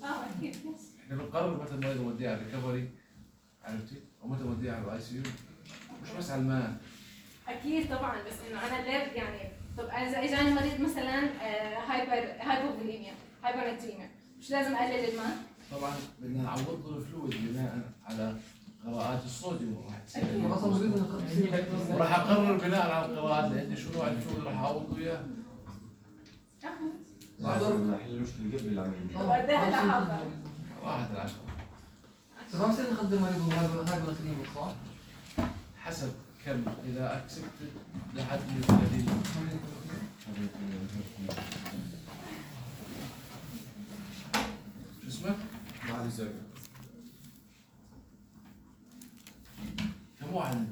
اه اكيد. احنا بنقرر متى المريض نوديه على الريكفري عرفتي؟ او متى نوديه على الاي سي يو مش بس على الماء. اكيد طبعا بس انه انا ليه يعني طب اذا اجاني مريض مثلا هايبر هايبوفوليميا هايبوناتريميا مش لازم اقلل الماء؟ طبعا بدنا نعوض له الفلويد بناء على قراءات الصوديوم راح تصير. وراح اقرر بناء على القراءات اللي عندي شو نوع الفلويد راح اعوض اياه. ما حلوش المشكله قبل العمليه. وقدها هلا حاضر. واحد العشرة. بس ما بصير نخدم مريض وهايبوغليسيميا صح؟ حسب كم اذا اكسبتد لحد ثلاثين. شو اسمه؟ معالي الزوجة. كم واحد؟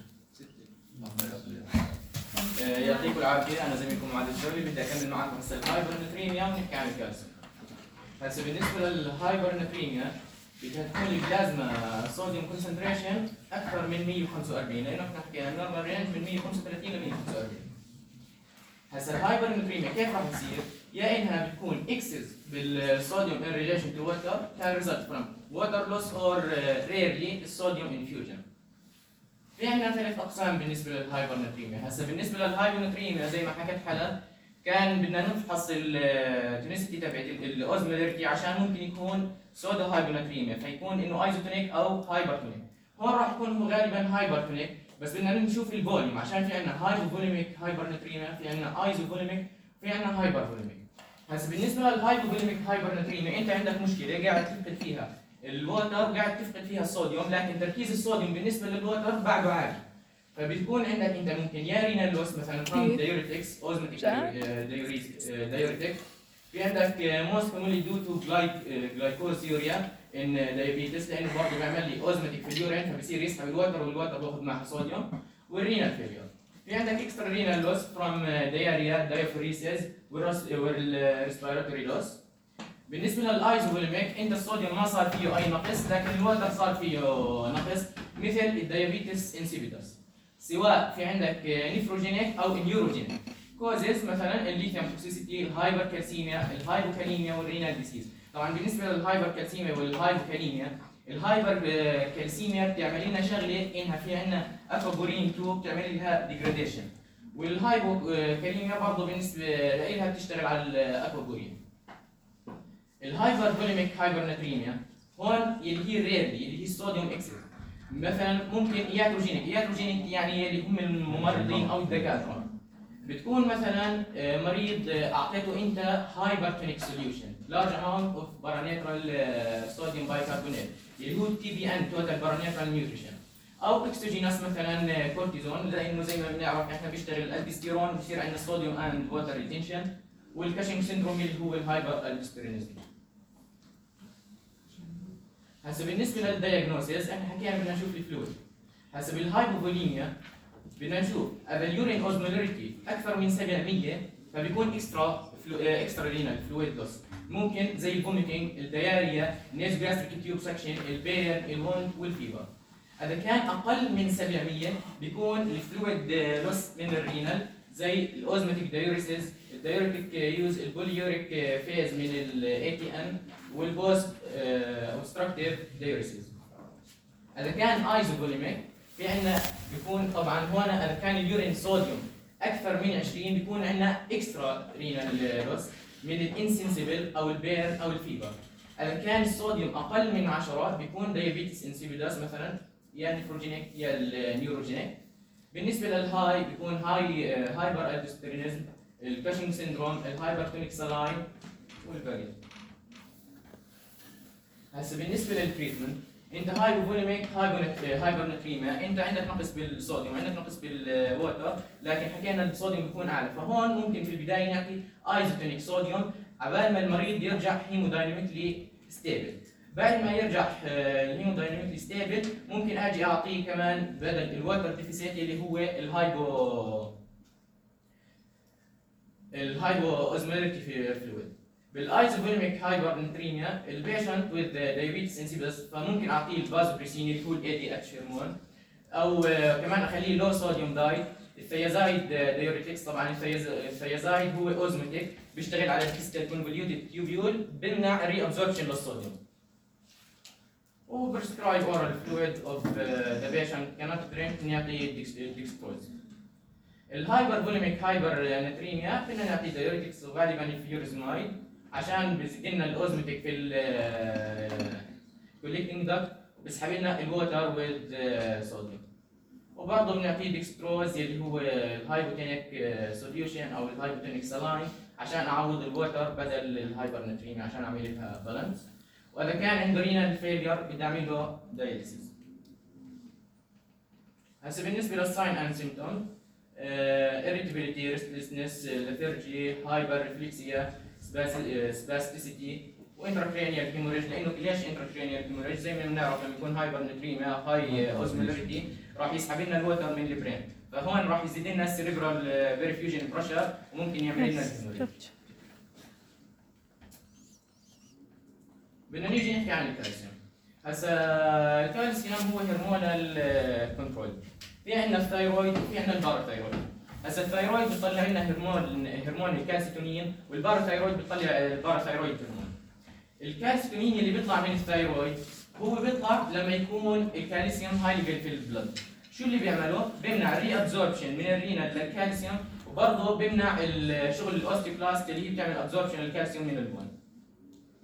آه، يعطيكم العافيه، انا زميلكم معاذ الجولي، بدي اكمل معكم هسه الهايبرنتريميا ونحكي عن الكالسيوم. هسه بالنسبه للهايبرنتريميا بدها تكون البلازما صوديوم كونسنتريشن اكثر من مية وخمسة وأربعين، لانه احنا حكينا النورمال رينج من مية وخمسة وثلاثين ل مية وخمسة وأربعين. هسه الهايبرنتريميا كيف راح تصير؟ يا انها بتكون اكسس بالصوديوم ان ريليشن تو ووتر كان ريزلت فروم ووتر لوس اور ريرلي الصوديوم انفيوجن. في عندنا ثلاث اقسام بالنسبه للهايبرنتريميا، هسه بالنسبه للهايبرنتريميا زي ما حكت حلا كان بدنا نفحص التونسيتي تبعت الاوزمولاريتي عشان ممكن يكون سودا هايبرنتريميا فيكون انه ايزوتونيك او هايبرتونيك. هون راح يكون هو غالبا هايبرتونيك، بس بدنا نشوف الفوليوم عشان في عندنا هايبوفوليميك هايبرنتريميا، في عندنا ايزوفوليميك، في عندنا هايبرفوليميك. هسه بالنسبه للهايبوفوليميك هايبرنتريميا انت عندك مشكله قاعد تفقد فيها الووتر وقاعد تفقد فيها الصوديوم، لكن تركيز الصوديوم بالنسبه للووتر بعده عالي. فبتكون عندك انت ممكن يا رينال لوس مثلا from diuretics اوزماتيك diuretic. في عندك most commonly due to glycosuria in diabetes لانه برضه بيعمل لي اوزماتيك في اليورين فبصير يسحب الوتر والوتر بياخذ معها صوديوم. والرينال فيلير في عندك اكسترا رينال لوس from diarrhea diaphoresis والريسبيراتوري لوس. بالنسبه للايزوفوليميك انت الصوديوم ما صار فيه اي نقص لكن الوتر صار فيه نقص مثل الديابيتس انسيبيتوس، سواء في عندك نيفروجينيك او نيوروجينيك كوزز مثلا الليثيوم توكسيسيتي، الهايبركالسيميا، الهايبوكاليميا والرينال ديسيز. طبعا بالنسبه للهايبركالسيميا والهايبوكاليميا، الهايبركالسيميا بتعمل لنا شغله انها في عندنا اكوبورين اثنين بتعمل لها ديجراديشن، والهايبوكاليميا برضه بالنسبه لها بتشتغل على الاكوبورين. الهايبرفوليميك هايبرنتريميا هون اللي هي ريرلي اللي هي الصوديوم اكسس، مثلا ممكن ياتروجينيك، ياتروجينيك يعني اللي هم الممرضين او الدكاتره. بتكون مثلا مريض اعطيته انت هايبرتونيك سوليوشن لارج اماونت اوف بارانيترال صوديوم بايكربونات اللي هو تي بي ان توتال بارانيترال نيوتريشن، او اكسوجينوس مثلا كورتيزون لانه زي ما بنعرف احنا بيشتغل الالديستيرون بصير عندنا صوديوم اند ووتر ريتنشن، والكاشينج سيندروم اللي هو الهايبر الديستيرونيزم. هسه بالنسبه للدايجنوسيس احنا حكينا بدنا نشوف الفلويد. هسه بالهايبوفوليميا بدنا نشوف اذا اليورين اوزمولاريتي اكثر من سبعمية فبيكون اكسترا فلو... اكسترا رينال فلويد لوس، ممكن زي الفوميتنج، الدياريا، نيز جاستريك تيوب سكشن، البين، الهوند والفيبر. اذا كان اقل من سبعمية بيكون الفلويد لوس من الرينال زي الاوزماتيك دايوريسيس، الدايوريتيك يوز، البوليوريك فيز من الاي تي ان، والبوست اوبستراكتيف دايوريسيس. اذا كان ايزوفوليميك في عندنا بيكون طبعا هون اذا كان اليورين صوديوم اكثر من عشرين بيكون عندنا اكسترا رينال لوس من الانسنسيبل او البير او الفيبر. اذا كان الصوديوم اقل من عشرة بيكون دايابيتس انسيبيدوس مثلا يا نيفروجينيك يا النيوروجينيك. بالنسبه للهاي بيكون هاي هايبر الدوستيرونيزم، الكاشينج سيندروم، الهايبرتونيك سلاين والباقي. هسه بالنسبه للتريتمنت انت هايبوفوليميك هايبرنتريميا انت عندك نقص بالصوديوم عندك نقص بالووتر، لكن حكينا الصوديوم بيكون اعلى، فهون ممكن في البدايه نعطي ايزوتونيك صوديوم عبال ما المريض يرجع هيمودايناميكلي ستيبل. بعد ما يرجع الهيمودايناميكلي ستيبل ممكن اجي اعطيه كمان بدل الووتر ديفيسيت اللي هو الهايبو الهايبو اوزمولاريتي فلويد. بالايزوفوليميك هايبرنتريميا البيشنت وذ دايابيتس انسيبيدوس فممكن اعطيه الفازوبريسين اللي هو الاي دي اتش هرمون، او كمان اخليه لو صوديوم دايت. الثيازايد دايوريتكس طبعا الثيازايد هو اوزماتيك بيشتغل على الكريستال كونفوليوتد تيوبيول بمنع الري ابزوربشن للصوديوم. وبرسكرايب اورال فلويد اوف ذا بيشنت كانت درينك نعطي ديكستروز. الهايبرفوليميك هايبرنتريميا فينا نعطي دايوريتكس وغالبا الفيورزمايد عشان بيزيد لنا الاوزماتيك في الكوليكتنج داكت بيسحب لنا الووتر والصوديوم. وبرضه بنعطيه ديكستروز اللي هو الهايبوتونيك سوليوشن او الهايبوتونيك سلاين عشان اعوض الووتر بدل الهايبرنتريميا عشان اعمل لها بالانس. واذا كان عنده رينال فيلير بدي اعمل له دايليسيس. هسه بالنسبه للساين اند سيمبتوم irritability, restlessness, lethargy, hyperreflexia, spasticity وانتراكرينيال هيموريج. لانه ليش انتراكرينيال هيموريج؟ زي ما بنعرف لما يكون هايبرنتريميا هاي اوزمولاريتي راح يسحب لنا الوتر من البرين، فهون راح يزيد لنا السيريبرال بريفيوجن بريشر وممكن يعمل لنا الهيموريج. بدنا نيجي نحكي عن الكالسيوم. هسا الكالسيوم هو هرمونال كنترول. في عندنا الثايرويد وفي عندنا الباراثايرويد. هسا الثايرويد بيطلع لنا هرمون هرمون الكالسيتونين، والباراثايرويد بيطلع الباراثايرويد هرمون. الكالسيتونين اللي بيطلع من الثايرويد هو بيطلع لما يكون الكالسيوم هاي ليفل في البلد. شو اللي بيعمله؟ بيمنع الري ابزوربشن من الرينال للكالسيوم، وبرضه بيمنع الشغل الاوستيوكلاست اللي هي بتعمل ابزوربشن للكالسيوم من البون.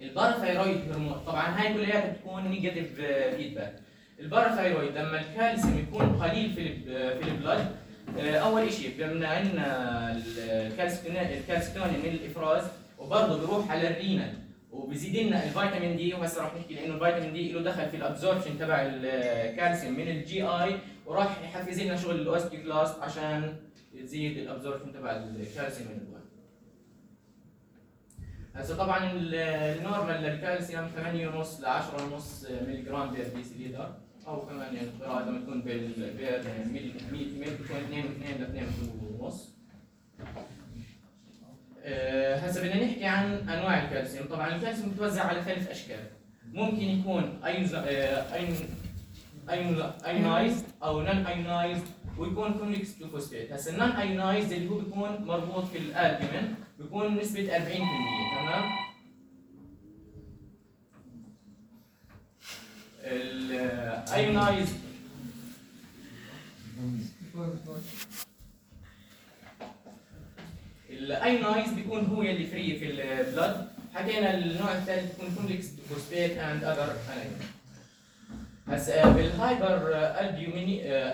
الباراثايرويد هرمون طبعا هاي كلياتها بتكون نيجاتيف فيدباك. الباراثايرويد لما الكالسيوم يكون قليل في في البلد، اول شيء بيمنع لنا الكالسيتونين من الافراز، وبرضه بيروح على الرينال وبيزيد لنا الفيتامين دي. وهسه راح نحكي لانه الفيتامين دي له دخل في الابزوربشن تبع الكالسيوم من الجي اي، وراح يحفز لنا شغل الاوستيوكلاست عشان يزيد الابزوربشن تبع الكالسيوم من البون. هسه طبعا النورمال للكالسيوم ثمانية ونص ل عشرة ونص ملي جرام بير ديسيليتر، او كمان يعني القراءة لما تكون بال بير مية بتكون اثنين واثنين ل اثنين ونص. هسه بدنا نحكي عن انواع الكالسيوم. طبعا الكالسيوم متوزع على ثلاث اشكال، ممكن يكون ايون ايون ايونايزد او نون ايونايزد ويكون كونفليكس تو فوسفات. هسه النون ايونايزد اللي هو بيكون مربوط في الالبومين بيكون نسبة أربعين بالمية. تمام. الايونايزد الايونايزد بيكون هو اللي فري في البلد. حكينا النوع الثالث بيكون كونفليكس تو فوسفات اند اذر انايون. هسه بالهايبر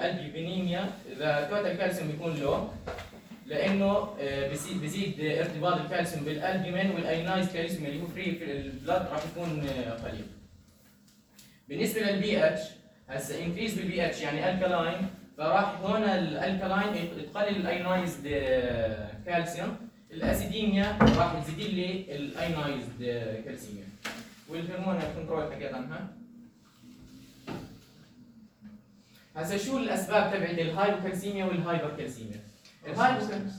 البيومينيميا اذا توتال كالسيوم بيكون لو، لانه بزيد ارتباط الكالسيوم بالالبومين، والايونايزد كالسيوم اللي هو فري في البلد راح يكون قليل. بالنسبه للبي اتش، هسه انكريز بالبي اتش يعني الكالاين، فراح هون الالكالاين تقلل الايونايزد كالسيوم. الاسيديميا راح تزيد لي الايونايزد كالسيوم. والهرمون كنترول حكيت عنها. هسه شو الاسباب تبعت الهايبوكالسيميا والهايبركالسيميا؟ الهايبوكالسيميا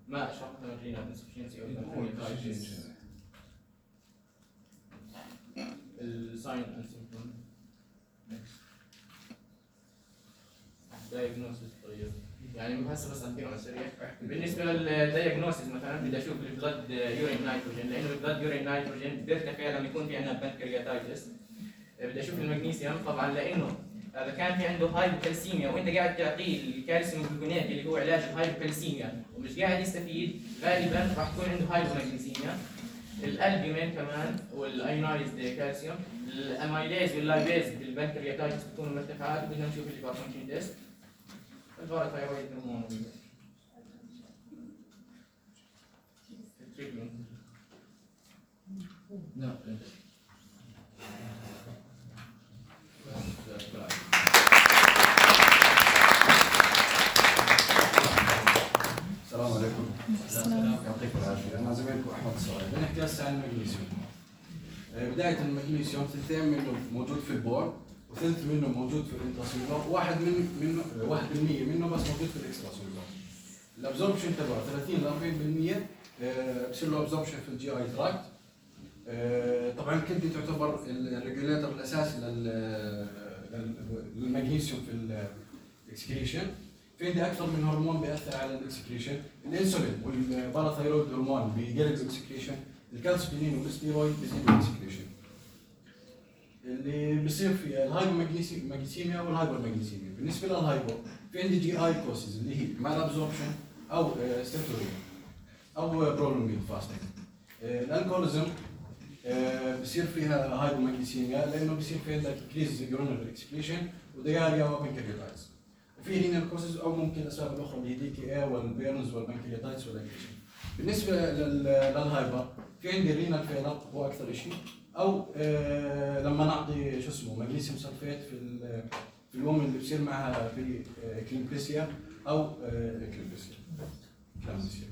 ما شرحنا الرينال انسفشنسي او الساين اند سيمبتوم. دايجنوستس. طيب يعني هسه بس احكي على السريع. بالنسبه للدايجنوستس مثلا بدي اشوف البلد يورين نيتروجين، لانه البلد يورين نيتروجين بيرتفع لما يكون في عندنا بنكرياتايتس. بدي اشوف المغنيسيوم طبعا، لانه اذا كان في عنده هايبوكالسيميا وانت قاعد تعطيه الكالسيوم جلوكونات اللي هو علاج الهايبوكالسيميا ومش قاعد يستفيد، غالبا راح يكون عنده هايبومغنيسيميا. الالبومين كمان والايونايزد كالسيوم. الاميليز واللايبيز بالبنكرياتايتس بتكونوا مرتفعات، بدنا نشوف الليفر فانكشن تيست. الباراثايرويد هرمون لا السلام عليكم. يعطيكم العافيه. انا زميلكم احمد الصغير. بنحكي هسه عن المغنيسيوم. بدايه المغنيسيوم ثلثين منه موجود في البول، وثلث منه موجود في الانتراسيلولار، واحد من منه واحد بالمية منه بس موجود في الاكستراسيلولار. الابزوربشن تبعه ثلاثين ل أربعين بالمية بصير له ابزوربشن في الجي اي تراكت. طبعا الكدني تعتبر الريجوليتر الاساسي للمغنيسيوم في الاكسكريشن. في عندي اكثر من هرمون بياثر على الاكسكريشن، الانسولين والباراثايرويد هرمون بيقلل الاكسكريشن، الكالسيتونين والستيرويد بيزيدوا الاكسكريشن. اللي بيصير في الهايبومغنيسيميا والهايبرمغنيسيميا. بالنسبه للهايبو في عندي جي اي كوسز اللي هي مال ابزوربشن او ستاتوريا او برولونجد فاستنج. الالكوليزم بصير فيها هايبومغنيسيميا لانه بصير في عندك انكريز يورينال اكسكريشن ودياريا وبنكرياتايتس. وفي رينال كوسز او ممكن الاسباب الاخرى اللي هي دي كي اي والبيرنز والبنكرياتايتس والاكريشن. بالنسبه لل- للهايبر في عندي رينال فيلر هو اكثر شيء، او آه لما نعطي شو اسمه مغنيسيوم سلفيت في ال- في الام اللي بصير معها في آه كليمبسيا او آه كليمبسيا كلامسيا.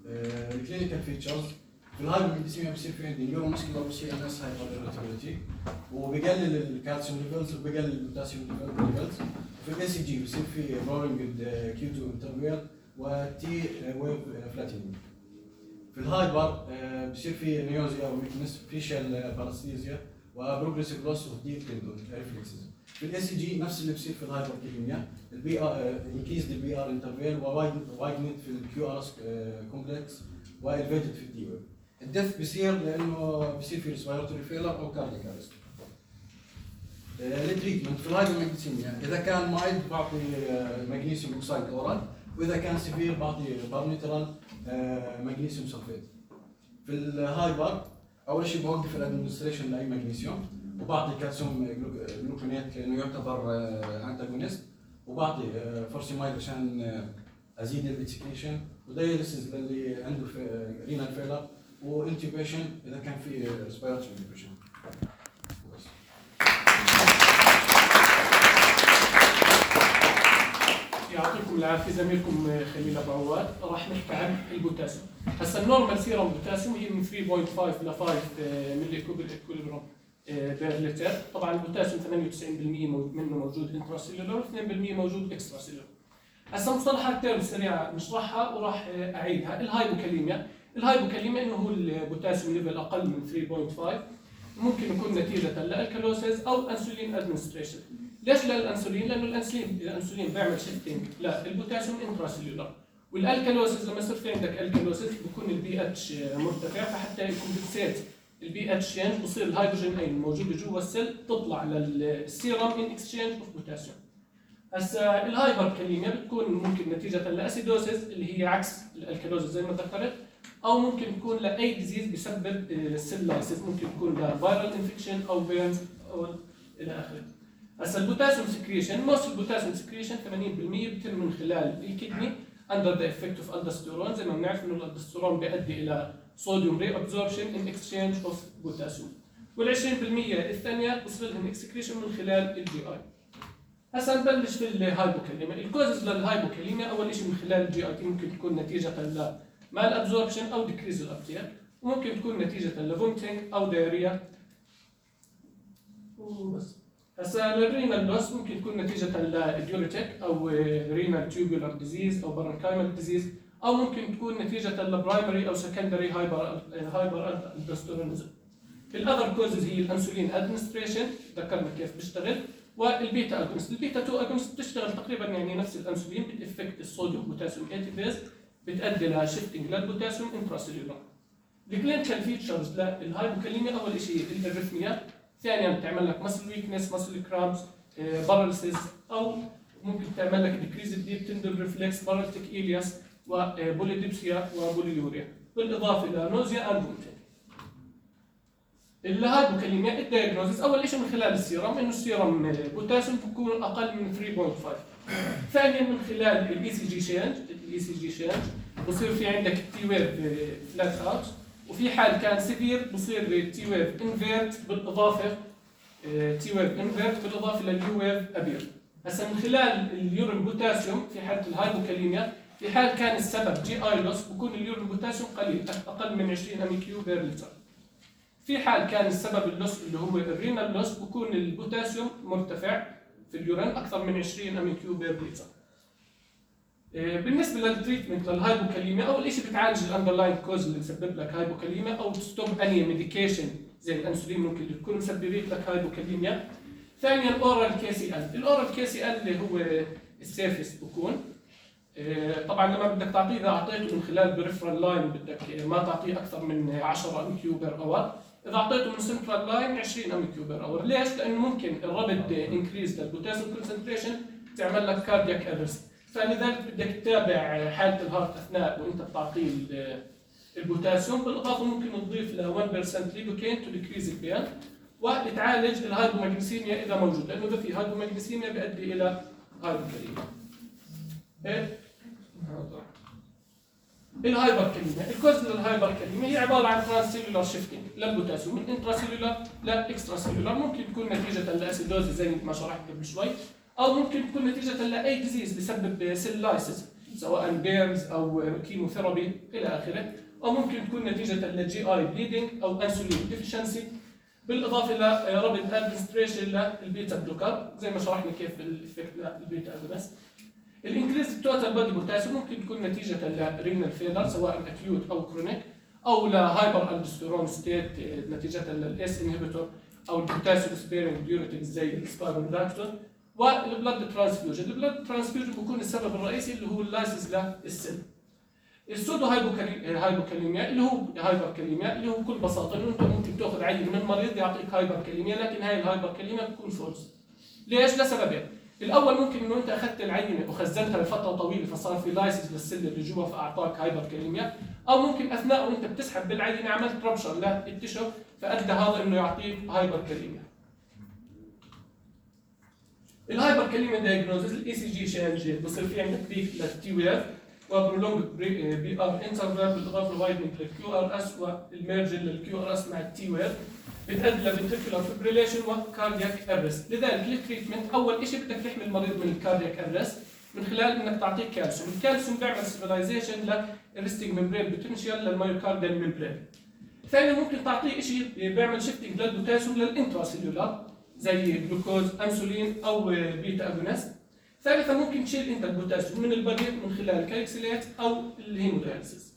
آه الكلينيكال فيتشرز في الهايبوميجليسيميا بصير في عندي نيورو ماسكولار سي ان اس هايبر، وبقلل الكالسيوم ليفلز وبقلل البوتاسيوم ليفلز. في الاي سي جي بصير في رولينج كيو تو انترفير وتي ويف فلاتينينج. في الهايبر بصير في نيوزيا وويكنس فيشال باراسيزيا وبروجريسيف لوس اوف ديب تندون ريفلكسز. في الاي سي جي نفس اللي بصير في الهايبر كيميا، البي ار انكريز البي ار انترفير ووايدنت في الكيو ار كومبلكس والفيتد في الدي ويف. الدث بصير لانه بصير في ريسبيراتوري فيلر او كاردياك ارست. التريتمنت في الهايبوماجنيسيميا اذا كان مايلد بعطي مغنيسيوم اوكسايد اورال، واذا كان سيفير بعطي بارنيترال مغنيسيوم سلفيت. في الهايبر اول شيء بوقف الادمنستريشن لاي مغنيسيوم، وبعطي كالسيوم جلوكونات لانه يعتبر انتاجونست، وبعطي فورسيمايد عشان ازيد الاكسكريشن، ودايليسيس للي عنده رينال فيلر، وانتوبيشن اذا كان في ريسبيراتوري انتوبيشن. يعطيكم العافيه زميلكم خليل ابو عواد. راح نحكي عن البوتاسيوم. هسا النورمال سيرم بوتاسيوم هي من ثلاثة فاصلة خمسة ل خمسة ملي اكويليبرام بير لتر. طبعا البوتاسيوم ثمانية وتسعين بالمئة منه موجود انتراسيلولر واثنين بالمئة موجود اكسترا سيلولر. هسا مصطلحات تيرم سريعه نشرحها وراح اعيدها. الهايبوكاليميا، الهايبوكاليميا انه هو البوتاسيوم ليفل اقل من ثلاثة فاصلة خمسة، ممكن يكون نتيجه للكالوسيس او انسولين ادمنستريشن. ليش للانسولين؟ لانه الانسولين الانسولين بيعمل شيفتنج للبوتاسيوم انتراسيلولر، والالكالوسيس لما يصير في عندك الكالوسيس بيكون البي اتش مرتفع، فحتى يكمبنسيت البي اتش تشينج بصير الهيدروجين ايون الموجوده جوا السيل تطلع للسيرم ان اكسشينج اوف بوتاسيوم. هسا الهايبركاليميا بتكون ممكن نتيجه لاسيدوسيس اللي هي عكس الالكالوزيس زي ما ذكرت، او ممكن تكون لاي ديزيز بسبب السيل لايسيس، ممكن تكون لفيرال انفكشن او بيرنز او الى اخره. هسا البوتاسيوم سكريشن، موست البوتاسيوم سكريشن ثمانين بالمئة بيتم من خلال الكدني اندر ذا افكت اوف الدستيرون. زي ما بنعرف انه الالدستيرون بيؤدي الى صوديوم ري ابزوربشن ان اكسشينج اوف بوتاسيوم، وال عشرين بالمئة الثانيه بصير لهم اكسكريشن من خلال الجي اي. هسا نبلش في الهايبوكاليميا. الكوزز للهايبوكاليميا اول شيء من خلال الجي اي تي، ممكن تكون نتيجه ل مال ابزوربشن او ديكريز الابتيك، وممكن تكون نتيجه لفومتنج او دايريا وبس. هسا الرينال لوس ممكن تكون نتيجة لديوريتيك أو رينال تيوبولار ديزيز أو برونكايمال ديزيز، أو ممكن تكون نتيجة لبرايمري أو سكندري هايبر هايبر الدستيرونيزم. الأذر كوزز هي الأنسولين أدمنستريشن، ذكرنا كيف بيشتغل، والبيتا أجونست. البيتا تو أجونست بتشتغل تقريبا يعني نفس الأنسولين، بتأفكت الصوديوم بوتاسيوم ايتيبيز، بتأدي لشيفتنج للبوتاسيوم انتراسيلولار. الكلينيكال فيتشرز للهايبوكاليميا أول شيء الاريثميا، ثانيا بتعمل لك مسل ويكنس، مسل كرامز، باراليسيس، او ممكن تعمل لك ديكريز الديب تندل ريفلكس، باراليتيك إيلياس، وبوليديبسيا وبوليوريا، بالاضافه الى نوزيا اند فومتنج. الهايبوكاليميا الدايجنوزيس اول شيء من خلال السيرم، انه السيرم بوتاسيوم بيكون اقل من ثلاثة فاصلة خمسة. ثانيا من خلال الاي سي جي شينج، الاي سي جي شينج بصير في عندك تي ويف فلات اوت، وفي حال كان سيفير بصير تي ويف انفيرت بالاضافه تي ويف انفيرت بالاضافه لليو ويف ابير. هسا من خلال اليورين بوتاسيوم في حاله الهايبوكاليميا، في حال كان السبب جي اي لوس بكون اليورين بوتاسيوم قليل اقل من عشرين ام كيو بير لتر. في حال كان السبب اللوس اللي هو الرينال لوس بكون البوتاسيوم مرتفع في اليورين اكثر من عشرين ام كيو بير لتر. بالنسبه للتريتمنت للهايبوكاليميا، اول شيء بتعالج الاندرلاين كوز اللي مسبب لك هايبوكاليميا، او تستوب اني ميديكيشن زي الانسولين ممكن تكون مسببت لك هايبوكاليميا. ثانيا اورال كي سي ال، الاورال كي سي ال اللي هو السيفست بكون. طبعا لما بدك تعطيه، اذا اعطيته من خلال بريفرال لاين بدك ما تعطيه اكثر من عشرة ام كيو بير اور، اذا اعطيته من سنترال لاين عشرين ام كيو بير اور. ليش؟ لانه ممكن الرابد انكريز للبوتاسيوم كونسنتريشن تعمل لك كاردياك ارست، فلذلك بدك تتابع حاله الهارت اثناء وانت بتعطيه البوتاسيوم. بالاضافه ممكن تضيف ل واحد بالمئة ليدوكين تو ديكريز البين، وتعالج الهايبوماغنيسيميا اذا موجود، لانه اذا في هايبوماغنيسيميا بيؤدي الى هايبوكاليميا. الهايبر كلمة، الكوز للهايبر كلمة هي عبارة عن ترانسيلولار شيفتنج للبوتاسيوم من انتراسيلولار لاكسترا سيلولار، ممكن تكون نتيجة لاسيدوز زي ما شرحت قبل شوي، أو ممكن تكون نتيجة لأي ديزيز بسبب سيل لايسيس سواء بيرنز أو كيموثيرابي إلى آخره، أو ممكن تكون نتيجة للجي آي بليدنج أو انسولين ديفيشنسي، بالإضافة إلى رابط ادمنستريشن للبيتا بلوكر زي ما شرحنا كيف الإفكت للبيتا أجونست. الانكريز توتال بودي بوتاسيوم ممكن تكون نتيجة لرينال فيلر سواء اكيوت أو كرونيك، أو لهايبر الدوستيرون ستيت نتيجة للاس انهبيتور أو البوتاسيوم سبيرنج ديوريتكس زي السبايروداكتون. والبلد ترانسفيوجن، البلد ترانسفيوجن بيكون السبب الرئيسي اللي هو اللايسيس للسيل. السودو هايبوكاليميا اللي هو هايبركاليميا اللي هو بكل بساطه انه انت ممكن تاخذ عينه من مريض يعطيك هايبركاليميا، لكن هاي الهايبركاليميا بتكون فولس. ليش؟ لسببين. الاول ممكن انه انت اخذت العينه وخزنتها لفتره طويله فصار في لايسيس للسيل اللي جوا فاعطاك هايبركاليميا، او ممكن اثناء وانت بتسحب بالعينه عملت ربشر للتشو فادى هذا انه يعطيك هايبركاليميا. الهايبركاليميا دايجنوزز الاي سي جي شانج بصير في عندك بيك للتي ويف وبرولونج بي ار انترفال بالاضافه لوايدنج للكيو ار اس والميرجن للكيو ار اس مع التي ويف بتؤدي لفنتريكولار فيبريليشن وكاردياك ارست. لذلك التريتمنت اول شيء بدك تحمي المريض من الكاردياك ارست من خلال انك تعطيه كالسيوم، الكالسيوم بيعمل سيفلايزيشن للريستنج ممبرين بوتنشال للمايوكارديال ممبرين. ثانيا ممكن تعطيه شيء بيعمل شيفتنج للبوتاسيوم للانتراسيلولار زي جلوكوز انسولين او بيتا اجونست. ثالثا ممكن تشيل انت البوتاسيوم من البريد من خلال الكالكسيلات او الهيمودايلسيس.